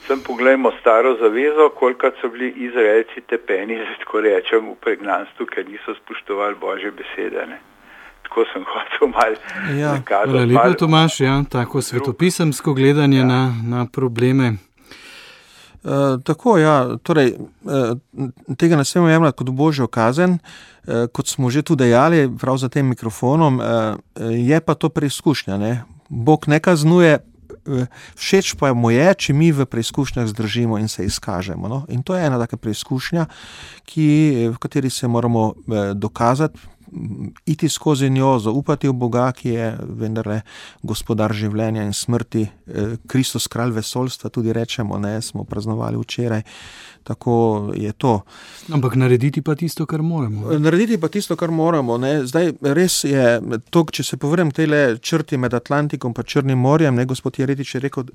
Sem pogledajmo staro zavezo, kolikrat so bili Izraelci tepeni, tako rečem, v pregnanstvu, ker niso spoštovali Božje besede. Ne? Tako sem hotel malo nakazati. Hvala lepa, Tomaž, tako svetopisemsko gledanje na probleme. Tako, torej, tega ne smemo jemljati kot božjo kazen, kot smo že tu dejali, prav za tem mikrofonom, je pa to preizkušnja, ne. Bog ne kaznuje, všeč pa mu je, če mi v preizkušnjah zdržimo in se izkažemo, no. In to je ena taka preizkušnja, v kateri se moramo dokazati, iti skozi njo, zaupati v Boga, ki je vendarle gospodar življenja in smrti, Kristus kralj vesoljstva, tudi rečemo, ne, smo praznovali včeraj, tako je to. Ampak narediti pa tisto, kar moramo. Narediti pa tisto, kar moramo, ne. Zdaj, res je to, če se povrnem tejle črti med Atlantikom pa Črnim morjem, ne, gospod Jeretič je rekel,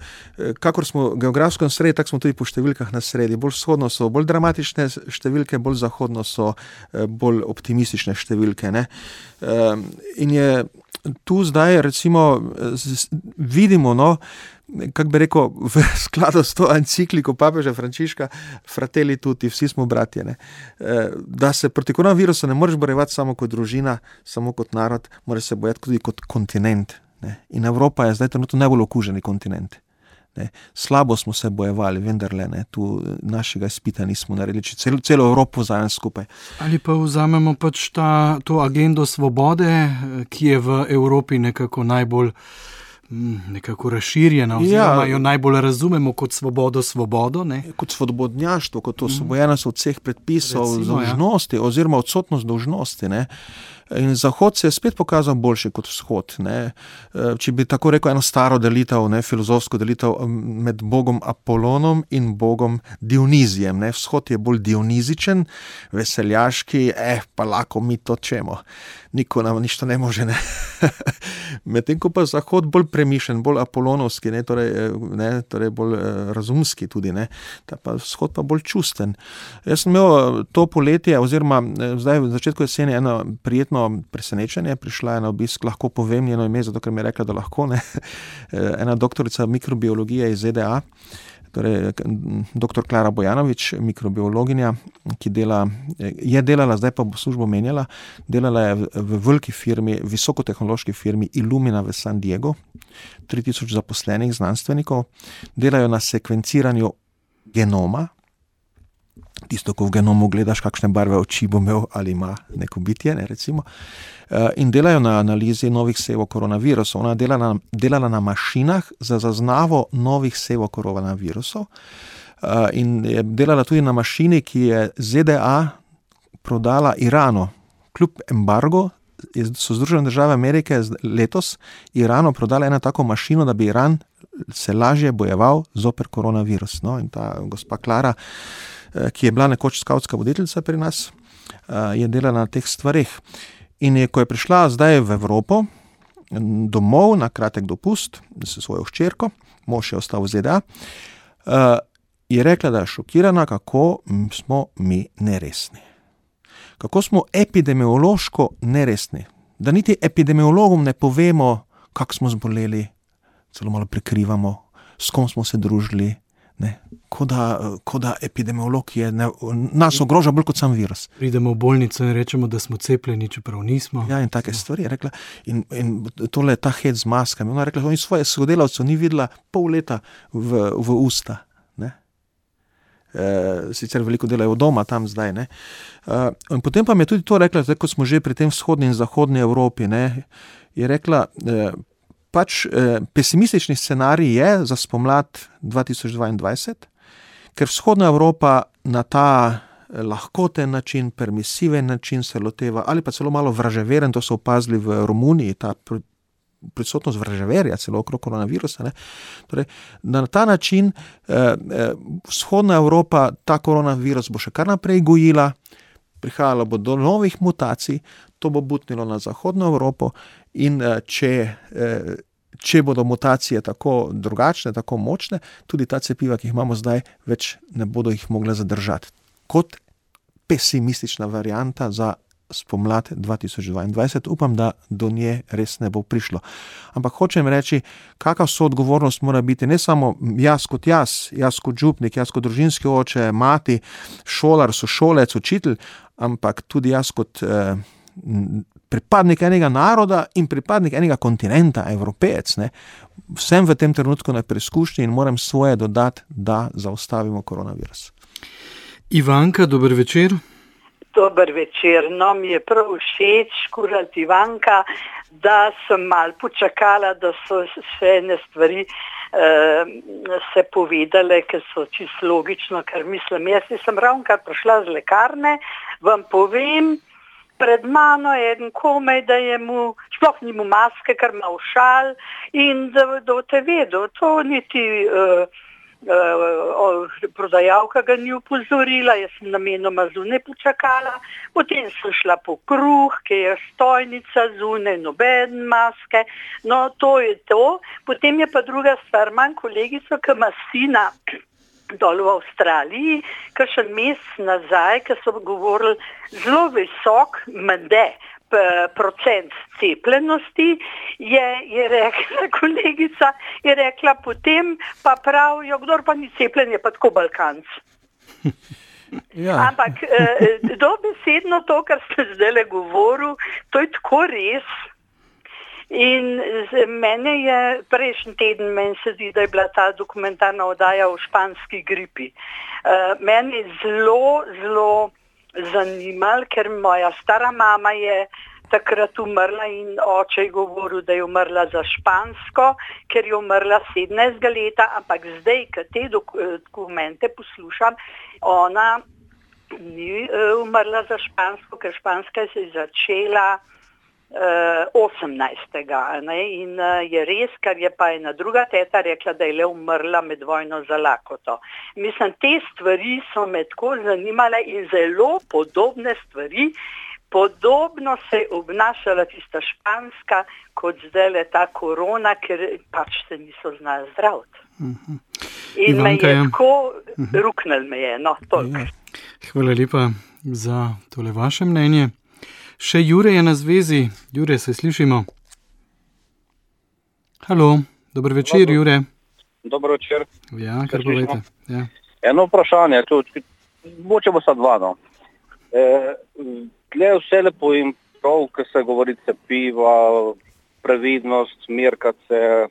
kakor smo geografsko na sredi, tako smo tudi po številkah na sredi. Bolj vzhodno so bolj dramatične številke, bolj zahodno so bolj optimistične številke, ne. In je tu zdaj, recimo, vidimo, no, kako bi rekel, v skladu s to encikliko papeža Frančiška, Fratelli tutti, vsi smo bratje, ne, da se proti koronavirusu ne moreš bojevati samo kot družina, samo kot narod, moraš se bojati tudi kot kontinent, ne. In Evropa je zdaj trenutno najbolj okuženi kontinent. Ne. Slabo smo se bojevali, vendarle, ne, tu našega izpita nismo naredili, če celo Evropo vzamem skupaj. Ali pa vzamemo pač to agendo svobode, ki je v Evropi nekako najbolj razširjena, oziroma jo najbolj razumemo kot svobodo, ne? Kot svobodnjaštvo, kot osvobojenost od vseh predpisov, dolžnosti, oziroma odsotnost dolžnosti, ne. In Zahod se je spet pokazal boljši kot Vzhod, ne. Če bi tako rekel eno staro delitev, ne, filozofsko delitev med Bogom Apolonom in Bogom Dionizijem, ne. Vzhod je bolj dionizičen, veseljaški, pa lako mi to čemo. Niko nam ništa ne može, ne. Medtem ko pa Zahod bolj premišljen, bolj apolonovski, ne, torej bolj razumski tudi, ne. Ta pa Vzhod pa bolj čusten. Jaz sem imel to poletje, oziroma zdaj v začetku jeseni eno prijetno presenečenje, prišla je na obisk, lahko povem njeno ime, zato ker mi je rekla, da lahko, ne. Ena doktorica mikrobiologije iz ZDA, torej dr. Klara Bojanović, mikrobiologinja, ki je delala, zdaj pa bo službo menjala, delala je v veliki firmi, visokotehnološki firmi Illumina v San Diego, 3000 zaposlenih znanstvenikov, delajo na sekvenciranju genoma, tisto, ko v genomu gledaš, kakšne barve oči bo imel ali ima neko bitje, ne, recimo, in delajo na analizi novih sevov koronavirusov. Ona je delala na mašinah za zaznavo novih sevov koronavirusov in je delala tudi na mašini, ki je ZDA prodala Iranu. Kljub embargo so Združene države Amerike letos Iranu prodala eno tako mašino, da bi Iran se lažje bojeval zoper koronavirus. No, in ta gospa Klara, ki je bila nekoč skavtska voditeljica pri nas, je delala na teh stvareh. In ko je prišla zdaj v Evropo, domov na kratek dopust s svojo hčerko, mož je ostal v ZDA, je rekla, da je šokirana, kako smo mi neresni. Kako smo epidemiološko neresni. Da niti epidemiologom ne povemo, kako smo zboleli, celo malo prikrivamo, s kom smo se družili. Ne, ko da epidemiolog nas ogroža bolj kot sam virus. Pridemo v bolnico in rečemo, da smo cepljeni, čeprav nismo. Ja, in take stvari je rekla. In tole ta hec z maskami. Ona je rekla, da svoje sodelavcev ni videla pol leta v usta. Ne. Sicer veliko delajo doma tam zdaj. Ne. In potem pa mi je tudi to rekla, zdaj, ko smo že pri tem vzhodni in zahodni Evropi, ne, je rekla, pesimistični scenarij je za spomlad 2022, ker vzhodna Evropa na ta lahkoten način, permisiven način se loteva, ali pa celo malo vraževeren, to so opazili v Romuniji, ta prisotnost vraževerja celo okrog koronavirusa. Ne? Torej, na ta način vzhodna Evropa ta koronavirus bo še kar naprej gojila, prihajalo bo do novih mutacij, to bo butnilo na zahodno Evropo in če bodo mutacije tako drugačne, tako močne, tudi ta cepiva, ki jih imamo zdaj, več ne bodo jih mogle zadržati. Kot pesimistična varianta za spomlad 2022, upam, da do nje res ne bo prišlo. Ampak hočem reči, kakva soodgovornost mora biti ne samo jaz kot župnik, jaz kot družinski oče, mati, šolar, sošolec, učitelj, ampak tudi jaz kot pripadnik enega naroda in pripadnik enega kontinenta, Evropejec, ne, vsem v tem trenutku na preizkušnji in moram svoje dodati, da zaustavimo koronavirus. Ivanka, dober večer. Dober večer. No, mi je prav všeč, kurat Ivanka, da sem malo počakala, da so še ene stvari se povedale, ker so čisto logično, ker mislim, jaz sem ravnokar prišla z lekarne, vam povem, pred mano je eden komaj, da je mu, sploh ni mu maske, ker ima ušal in da te vedel, to niti prodajalka ga ni upozorila, jaz sem namenoma zunaj počakala, potem sem šla po kruh, ki je stojnica zunaj, noben maske, no to je to. Potem je pa druga stvar, imam kolegico, ki ima sina dol v Avstraliji, kakšen mesec nazaj, ki so govorili zelo visok mende procent cepljenosti, je rekla kolegica, je rekla potem, pa pravijo, kdor pa ni cepljen, je pa tako Balkanc. Ja. Ampak dobesedno to, kar ste zdaj govoril, to je tako res. In mene je prejšnji teden, meni se zdi, da je bila ta dokumentarna oddaja o španski gripi. Meni je zelo zanimalo, ker moja stara mama je takrat umrla in oče je govoril, da je umrla za špansko, ker je umrla 17 leta, ampak zdaj, ko te dokumente poslušam, ona ni umrla za špansko, ker španska se je začela 18. Ne? In je res, kar je pa ena druga teta rekla, da je le umrla med vojno za lakoto. Mislim, te stvari so me tako zanimale in zelo podobne stvari. Podobno se je obnašala tista španska, kot zdaj le ta korona, ker pač se niso znali zdraviti. In Ivanka, me je tako ruknil me je, no, toliko. Hvala lepa za tole vaše mnenje. Še Jure je na zvezi. Jure, se slišimo? Halo, dober večer, Jure. Dober večer. Ja, kar povejte. Ja. Eno vprašanje, moče bo sta dva, no. Tle vse lepo in prav, ko se govori cepiva, previdnost, merkat se.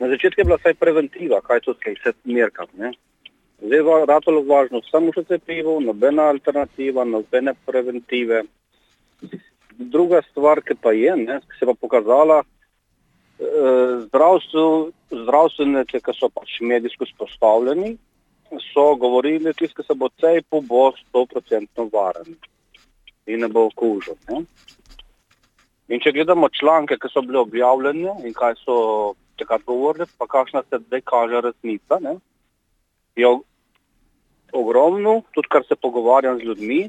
Na začetku je bila vsaj preventiva, kaj to se merkat, ne. Zdaj je ratalo važno samo še cepivo, nobena alternativa, nobene preventive. Druga stvar, ki pa je, ne, ki se pa pokazala, zdravstveniki, ki so pač medijsko spostavljeni, so govorili, ki se bo cepil, bo 100% varen in ne bo okužen. Ne. In če gledamo članke, ki so bili objavljeni in kaj so takrat govorili, pa kakšna se zdaj kaže resnica, ne, je ogromno, tudi kar se pogovarjam z ljudmi,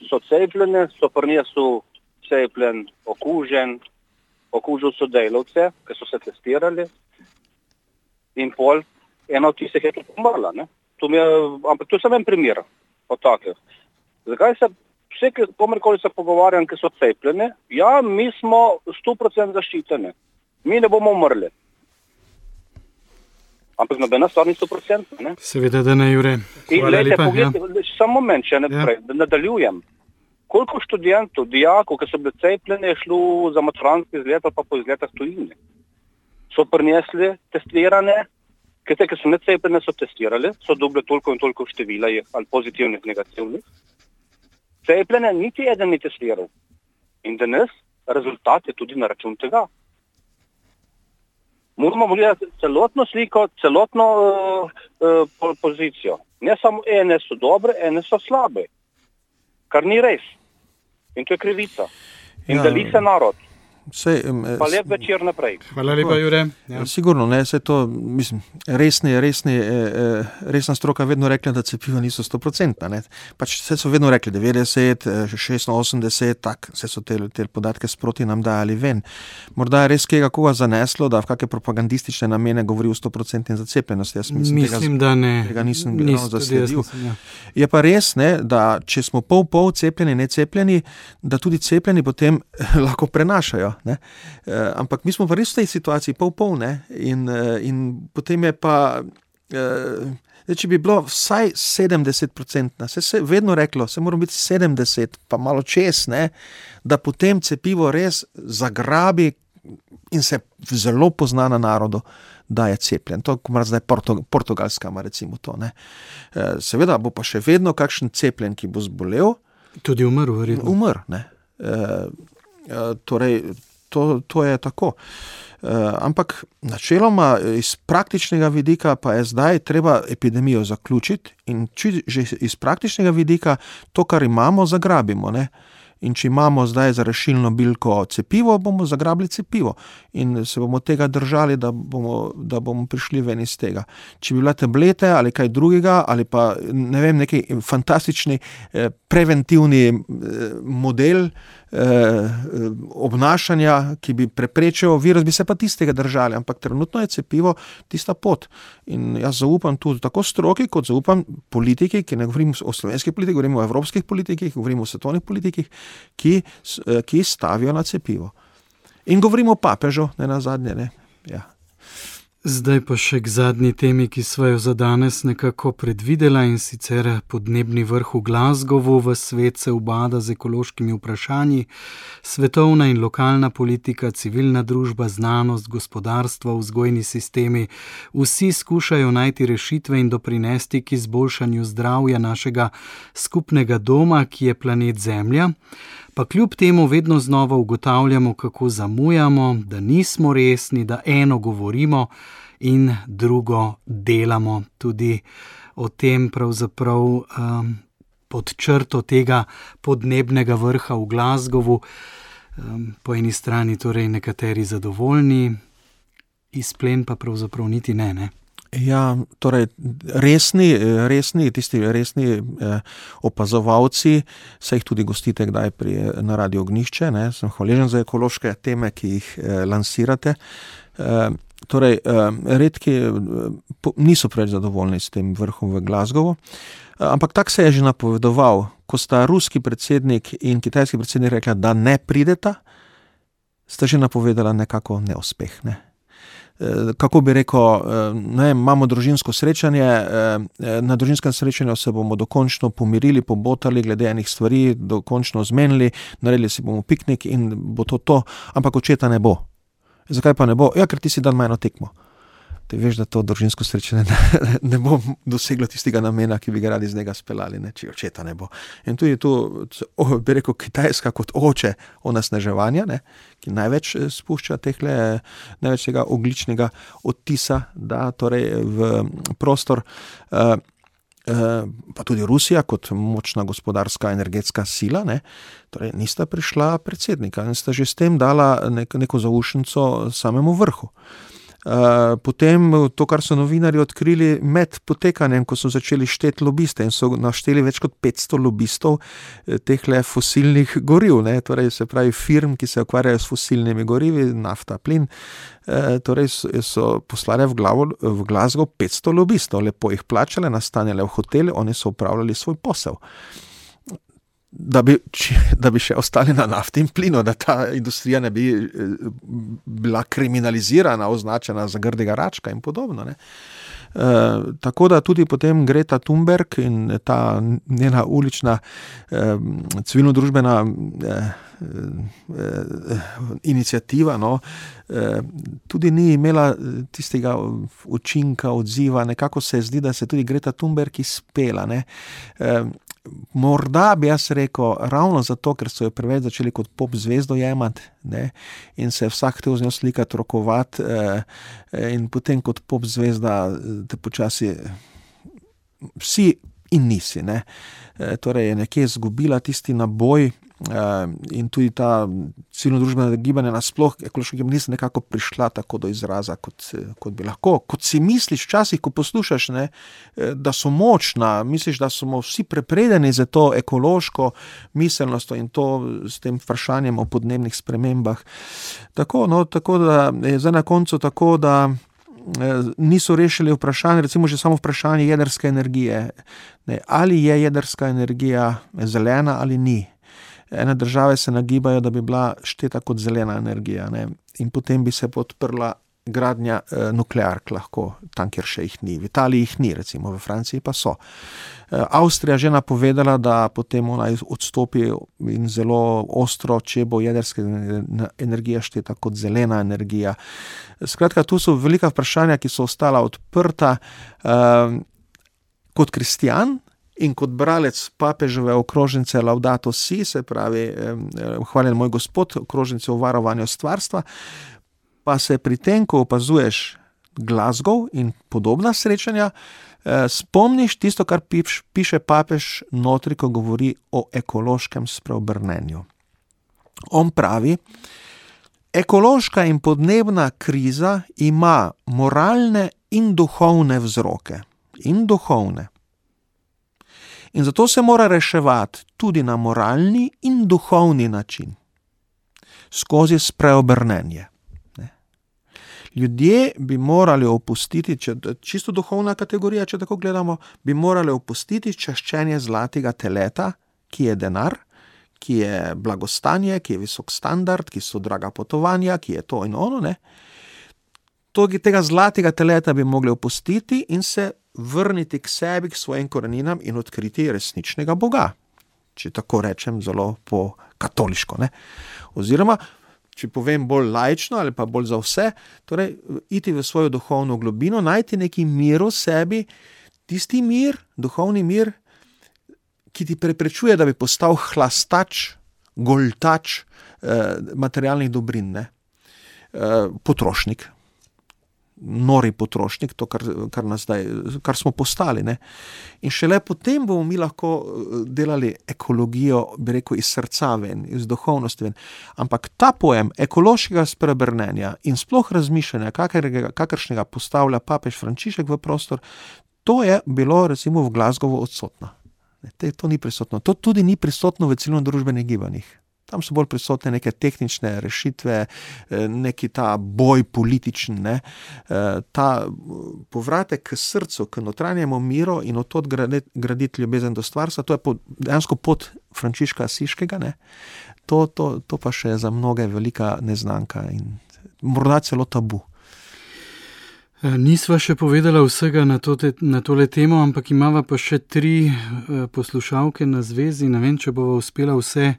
so cepljene, so prinesel cepljen, okužil so delavce, ki so se testirali in pol ena od tistih je tudi umrla. Ampak to je samo en primer od takih. Zakaj se vse, komerkoli se pogovarjam, ki so cepljene, ja, mi smo 100% zaščiteni. Mi ne bomo umrli. Ampak nobena stvar ni 100%, ne? Seveda, da ne, Jure. Hvala lepa. Samo moment, če da nadaljujem. Koliko študentov, dijakov, ki so bili cepljeni, je šlo za maturantski izlet ali pa po izletah tujine. So prinesli testirane, ki so necepljene, so testirali, so dobili toliko in toliko števila ali pozitivnih, negativnih. Cepljene niti eden ni testiral. In danes rezultat je tudi na račun tega. Moramo gledati celotno sliko, celotno pozicijo. Ne samo ene so dobre, ene so slabe. Kar ni res. In to je krivica. In deli se narod. Pa lep večer naprej. Hvala lepa, Jure. Ja. Sigurno, ne, se to, mislim, resna stroka vedno rekla, da cepiva niso 100%, ne. Pač vse so vedno rekli 90, 86, tak, vse so te podatke sproti nam dajali ven. Morda je res koga zaneslo, da v kakšne propagandistične namene govori o 100% zacepljenosti. Jaz mislim, da ne. Tega nisem zasledil. Ja. Je pa res, ne, da če smo pol cepljeni, necepljeni, da tudi cepljeni potem lahko prenašajo. Ne? Ampak mi smo pa res v tej situaciji pol, ne? In potem je pa, če bi bilo vsaj 70%, se vedno reklo, se moramo biti 70, pa malo čez, ne? Da potem cepivo res zagrabi in se zelo pozna na narodu, da je cepljen. To je zdaj Portugalska, recimo to. Ne? Seveda bo pa še vedno kakšen cepljen, ki bo zbolel. Tudi umrl, verjetno. Umrl, ne. Torej, to je tako. Ampak načeloma iz praktičnega vidika pa je zdaj treba epidemijo zaključiti in že iz praktičnega vidika to, kar imamo, zagrabimo, ne. In če imamo zdaj za rešilno bilko cepivo, bomo zagrabili cepivo in se bomo tega držali, da bomo prišli ven iz tega. Če bi bila tablete ali kaj drugega, ali pa ne vem, neki fantastični preventivni model obnašanja, ki bi preprečil virus, bi se pa tistega držali, ampak trenutno je cepivo tista pot. In jaz zaupam tudi tako stroki, kot zaupam politiki, ki ne govorim o slovenskih politikih, govorim o evropskih politikih, govorim o svetovnih politikih, ki stavijo na cepivo. In govorimo o papežu, ne nazadnje, ne. Ja. Zdaj pa še k zadnji temi, ki sva jo za danes nekako predvidela, in sicer podnebni vrh v Glasgowu. V svet se ubada z ekološkimi vprašanji. Svetovna in lokalna politika, civilna družba, znanost, gospodarstvo, vzgojni sistemi, vsi skušajo najti rešitve in doprinesti k izboljšanju zdravja našega skupnega doma, ki je planet Zemlja. Pa kljub temu vedno znova ugotavljamo, kako zamujamo, da nismo resni, da eno govorimo in drugo delamo. Tudi o tem pravzaprav pod črto tega podnebnega vrha v Glasgowu. Po eni strani torej nekateri zadovoljni, izplen pa pravzaprav niti ne. Ja, torej tisti resni opazovalci, se jih tudi gostite kdaj na Radio Ognjišče, ne, sem hvaležen za ekološke teme, ki jih lansirate. Torej, redki niso preveč zadovoljni s tem vrhom v Glasgowu, ampak tak se je že napovedoval, ko sta ruski predsednik in kitajski predsednik rekla, da ne prideta, sta že napovedala nekako neuspeh, ne. Kako bi rekel, imamo družinsko srečanje, na družinskem srečanju se bomo dokončno pomirili, pobotali glede enih stvari, dokončno zmenili, naredili si bomo piknik in bo to, ampak očeta ne bo. Zakaj pa ne bo? Ja, ker ti si dan majno tekmo. Ti veš, da to družinsko srečanje ne bo doseglo tistega namena, ki bi ga radi z njega speljali, ne, če očeta ne bo. In tudi tu, bi rekel, Kitajska kot oče onesnaževanja, ne, ki največ spušča največ tega ogljičnega odtisa, da torej v prostor, pa tudi Rusija kot močna gospodarska energetska sila, ne, torej nista prišla predsednika in sta že s tem dala neko zaušnico samemu vrhu. Potem to, kar so novinarji odkrili med potekanjem, ko so začeli šteti lobiste in so našteli več kot 500 lobistov tehle fosilnih goriv, ne, torej se pravi firm, ki se ukvarjajo s fosilnimi gorivi, nafta, plin, torej so poslali v Glasgow 500 lobistov, lepo jih plačali, nastanjali v hoteli, oni so upravljali svoj posel. Da bi še ostali na nafti in plinu, da ta industrija ne bi bila kriminalizirana, označena za grdega račka in podobno, ne. Tako da tudi potem Greta Thunberg in ta njena ulična civilno-družbena iniciativa, no, tudi ni imela tistega učinka, odziva, nekako se zdi, da se tudi Greta Thunberg izpela, ne. Morda bi jaz rekel, ravno zato, ker so jo preveč začeli kot pop zvezdo jemati, ne, in se vsak hotel z njo slikati, rokovati, in potem kot pop zvezda te počasi si in nisi, ne. Torej je nekje izgubila tisti naboj in tudi ta civilno-družbena gibanja nasploh, ekološka gibanja niso nekako prišla tako do izraza, kot bi lahko. Kot si misliš včasih, ko poslušaš, ne, da so močna, misliš, da smo vsi prepredeni za to ekološko miselnost in to s tem vprašanjem o podnebnih spremembah. Tako da je zdaj na koncu tako, da niso rešili vprašanje, recimo že samo vprašanje jedrske energije. Ne, ali je jedrska energija zelena ali ni. Ene države se nagibajo, da bi bila šteta kot zelena energija, ne, in potem bi se podprla gradnja nukleark lahko, tam, kjer še jih ni. V Italiji jih ni, recimo, v Franciji pa so. Avstrija že napovedala, da potem ona odstopi in zelo ostro, če bo jedrska energija šteta kot zelena energija. Skratka, tu so velika vprašanja, ki so ostala odprta. Kot kristjan in kot bralec papeževe okrožnice Laudato Si, se pravi, hvaljen moj Gospod, okrožnice o varovanju stvarstva, pa se pri tem, ko opazuješ Glasgow in podobna srečanja, spomniš tisto, kar piše papež notri, ko govori o ekološkem spreobrnenju. On pravi, ekološka in podnebna kriza ima moralne in duhovne vzroke. In duhovne. In zato se mora reševati tudi na moralni in duhovni način. Skozi spreobrnenje. Ljudje bi morali opustiti, čisto duhovna kategorija, če tako gledamo, bi morali opustiti čaščenje zlatega teleta, ki je denar, ki je blagostanje, ki je visok standard, ki so draga potovanja, ki je to in ono, ne. Tega zlatega teleta bi mogli opustiti in se vrniti k sebi, k svojim koreninam in odkriti resničnega Boga. Če tako rečem, zelo po katoliško, ne. Oziroma, če povem bolj laično ali pa bolj za vse, torej iti v svojo duhovno globino, najti neki mir v sebi, tisti mir, duhovni mir, ki ti preprečuje, da bi postal hlastač, goltač materialnih dobrin, ne. Potrošnik. Nori potrošnik, to, kar smo postali, ne. In šele potem bomo mi lahko delali ekologijo, bi rekel, iz srca ven, iz duhovnosti ven. Ampak ta pojem ekološkega spreobrnenja in sploh razmišljanja, kakršnega postavlja papež Frančišek v prostor, to je bilo recimo v Glasgowu odsotno. To ni prisotno. To tudi ni prisotno v civilno-družbenih gibanjih. Tam so bolj prisotne neke tehnične rešitve, neki ta boj političen, ne. Ta povratek k srcu, k notranjemu miru in od tod graditi ljubezen do stvarstva, to je dejansko pot Frančiška Asiškega, ne. To pa še za mnoge velika neznanka in morda celo tabu. Nisva še povedala vsega na tole temo, ampak imava pa še 3 poslušalke na zvezi. Ne vem, če bova uspela vse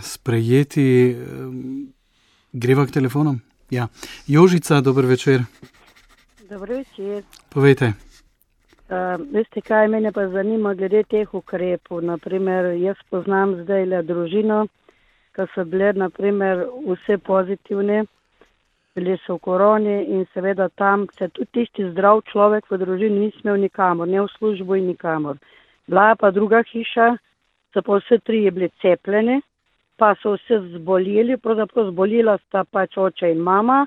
sprejeti. Greva k telefonom? Ja. Jožica, dober večer. Dober večer. Povejte. Veste kaj, mene pa zanima glede teh ukrepov. Naprimer, jaz poznam zdaj družino, ki so bile, naprimer, vse pozitivne, bili so v koroni in seveda tam se tudi tisti zdrav človek v družini ni smel nikamor, ne v službo in nikamor. Bila pa druga hiša, so pa vse 3 bili cepljeni, pa so vse zboleli, pravzaprav zbolila sta pač oče in mama,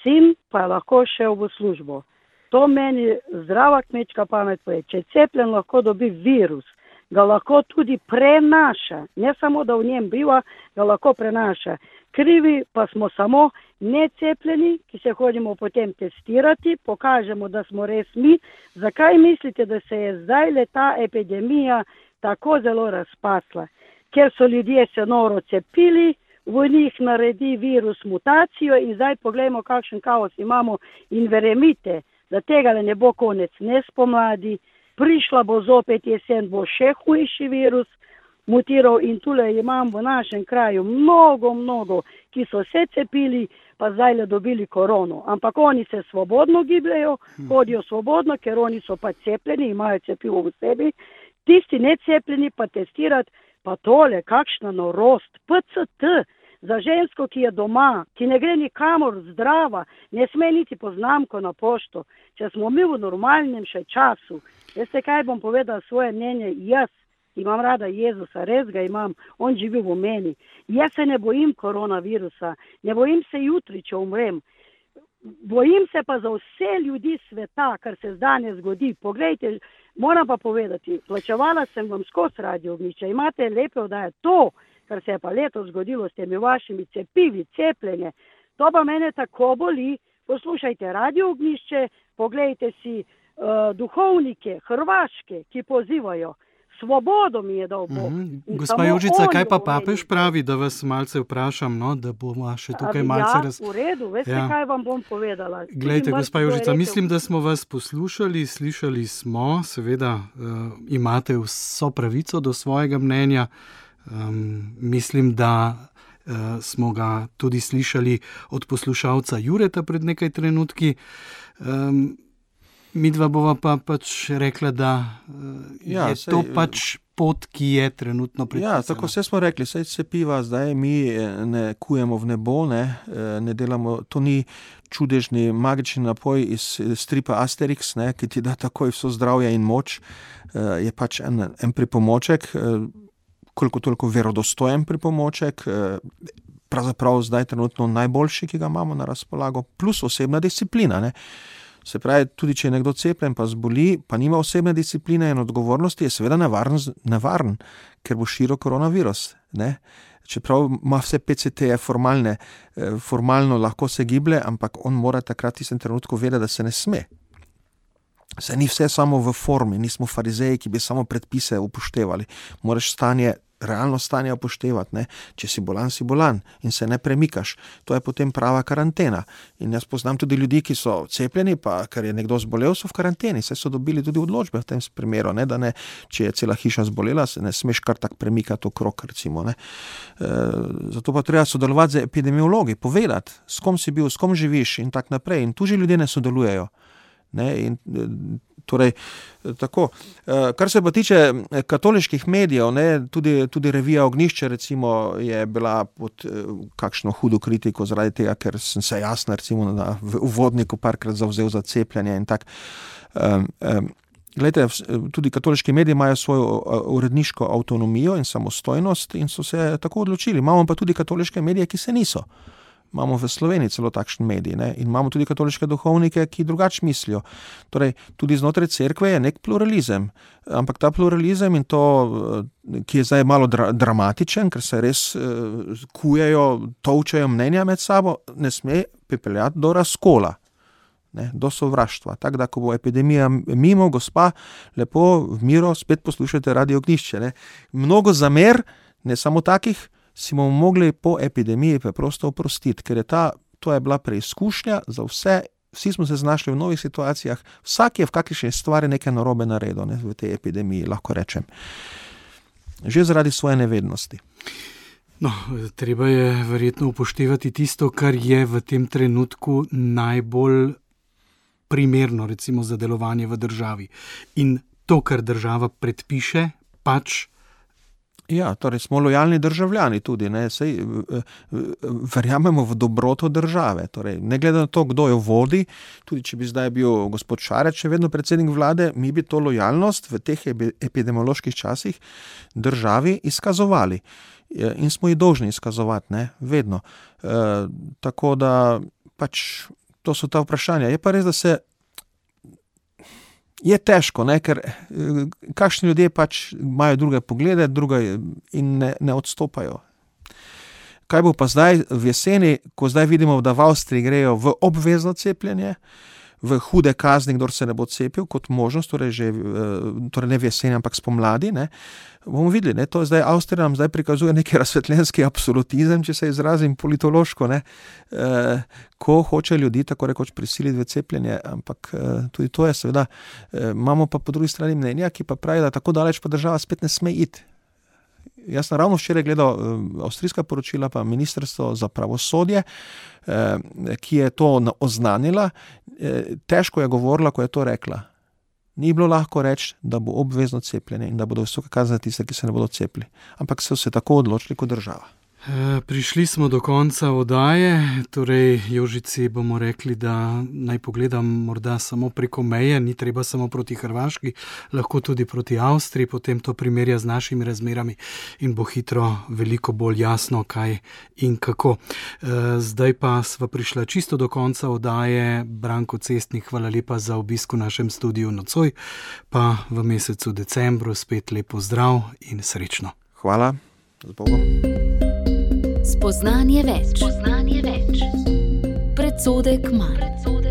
sin pa je lahko šel v službo. To meni zdrava kmečka pamet poje. Če cepljen lahko dobi virus, ga lahko tudi prenaša. Ne samo, da v njem biva, ga lahko prenaša. Krivi pa smo samo necepljeni, ki se hodimo potem testirati, pokažemo, da smo res mi. Zakaj mislite, da se je zdaj ta epidemija tako zelo razpasla? Ker so ljudje se noro cepili, v njih naredi virus mutacijo in zdaj poglejmo, kakšen kaos imamo in verjemite, da tega ne bo konec ne spomladi, prišla bo zopet jesen, bo še hujši virus mutiral in tule imam v našem kraju mnogo, ki so se cepili, pa zdaj le dobili korono. Ampak oni se svobodno gibljajo, hodijo svobodno, ker oni so pa cepljeni, imajo cepivo v sebi. Tisti necepljeni pa testirati, pa tole, kakšna norost, PCT, Za žensko, ki je doma, ki ne gre nikamor zdrava, ne sme niti po znamko na pošto. Če smo mi v normalnem še času, veste kaj bom povedala svoje mnenje, jaz imam rada Jezusa, res ga imam, on živi v meni. Jaz se ne bojim koronavirusa, ne bojim se jutri, če umrem. Bojim se pa za vse ljudi sveta, kar se danes zgodi. Poglejte, moram pa povedati, plačevala sem vam skozi Radio Ognjišče, imate lepe oddaje. To, kar se je pa letos zgodilo s temi vašimi cepivi, cepljenje, to pa mene tako boli. Poslušajte Radio Ognjišče, poglejte si duhovnike Hrvaške, ki pozivajo. Svobodo mi je dal Bog. Gospa Jožica, kaj pa papež pravi, da vas malce vprašam, no, da bomo še tukaj malce v redu, veste, kaj vam bom povedala. Glejte, gospa Jožica, mislim, da smo vas poslušali, slišali smo, seveda imate vso pravico do svojega mnenja. Mislim, da smo ga tudi slišali od poslušalca Jureta pred nekaj trenutki. Midva bova pa pač rekla, da je to pač pot, ki je trenutno predpisana. Ja, tako vse smo rekli, saj cepiva zdaj mi ne kujemo v nebo, ne delamo, to ni čudežni magični napoj iz stripa Asterix, ki ti da takoj vso zdravje in moč, je pač en pripomoček, koliko toliko verodostojen pripomoček, pravzaprav zdaj trenutno najboljši, ki ga imamo na razpolago, plus osebna disciplina, Se pravi, tudi če je nekdo cepljen, pa zboli, pa nima osebne discipline in odgovornosti, je seveda nevaren, ker bo širil koronavirus. Čeprav ima vse PCT-je formalno lahko se giblje, ampak on mora takrat v tistem trenutku vedeti, da se ne sme. Se ni vse samo v formi, nismo farizeji, ki bi samo predpise upoštevali. Moraš realno stanje upoštevati, Če si bolan in se ne premikaš. To je potem prava karantena. In jaz poznam tudi ljudi, ki so cepljeni, pa ker je nekdo zbolel, so v karanteni. Saj so dobili tudi odločbe v tem primeru, da ne, če je cela hiša zbolela, se ne smeš kar tak premikati okrog, recimo. Zato pa treba sodelovati z epidemiologi, povedati, s kom si bil, s kom živiš in tak naprej. In tu že ljudje ne sodelujejo. In torej, tako. Kar se pa tiče katoliških medijev, tudi revija Ognjišče recimo je bila pod kakšno hudo kritiko zaradi tega, ker sem se jasno recimo v uvodniku parkrat zavzel za cepljenje in tak. Glejte, tudi katoliški mediji imajo svojo uredniško avtonomijo in samostojnost in so se tako odločili. Imamo pa tudi katoliške medije, ki se niso. Imamo v Sloveniji celo takšen medij, in imamo tudi katoliške duhovnike, ki drugače mislijo. Torej, tudi znotraj cerkve je nek pluralizem, ampak ta pluralizem in to, ki je zdaj malo dramatičen, ker se res kujejo, tolčejo mnenja med sabo, ne sme pripeljati do razkola, do sovraštva. Tako da, ko bo epidemija mimo, gospa, lepo v miru spet poslušajte Radio Ognjišče. Mnogo zamer, ne samo takih, si bomo mogli po epidemiji preprosto oprostiti, ker to je bila preizkušnja za vse, vsi smo se znašli v novih situacijah, vsak je v kakšni stvari nekaj narobe naredil v tej epidemiji, lahko rečem. Že zaradi svoje nevednosti. No, treba je verjetno upoštevati tisto, kar je v tem trenutku najbolj primerno, recimo za delovanje v državi. In to, kar država predpiše, pač. Ja, torej smo lojalni državljani tudi, Saj verjamemo v dobroto države, torej ne glede na to, kdo jo vodi, tudi če bi zdaj bil gospod Šarec še vedno predsednik vlade, mi bi to lojalnost v teh epidemioloških časih državi izkazovali in smo ji dolžni izkazovati, vedno. Tako da pač to so ta vprašanja. Je pa res, da se je težko, ker kakšni ljudje pač imajo druge poglede, in ne odstopajo. Kaj bo pa zdaj v jeseni, ko zdaj vidimo, da v Avstriji grejo v obvezno cepljenje, v hude kazni, kdor se ne bo cepil, kot možnost, torej ne v jeseni, ampak spomladi, bomo videli, to zdaj Avstrija nam zdaj prikazuje neki razsvetljenski absolutizem, če se izrazim politološko, ko hoče ljudi tako rekoč prisiliti v cepljenje, ampak tudi to je seveda, imamo pa po drugi strani mnenja, ki pa pravi, da tako daleč pa država spet ne sme iti. Jaz sem ravno včeraj gledal avstrijska poročila, pa Ministrstvo za pravosodje, ki je to oznanila, težko je govorila, ko je to rekla. Ni bilo lahko reči, da bo obvezno cepljenje in da bodo visoke kazni za tiste, ki se ne bodo cepili. Ampak so se tako odločili kot država. Prišli smo do konca oddaje, torej Jožici bomo rekli, da naj pogledam morda samo preko meje, ni treba samo proti Hrvaški, lahko tudi proti Avstriji, potem to primerja z našimi razmerami in bo hitro veliko bolj jasno, kaj in kako. Zdaj pa sva prišla čisto do konca oddaje. Branko Cestnik, hvala lepa za obisk v našem studiu nocoj, pa v mesecu decembru spet lep pozdrav in srečno. Hvala, z Bogom. Spoznanje več. Predsodek manj.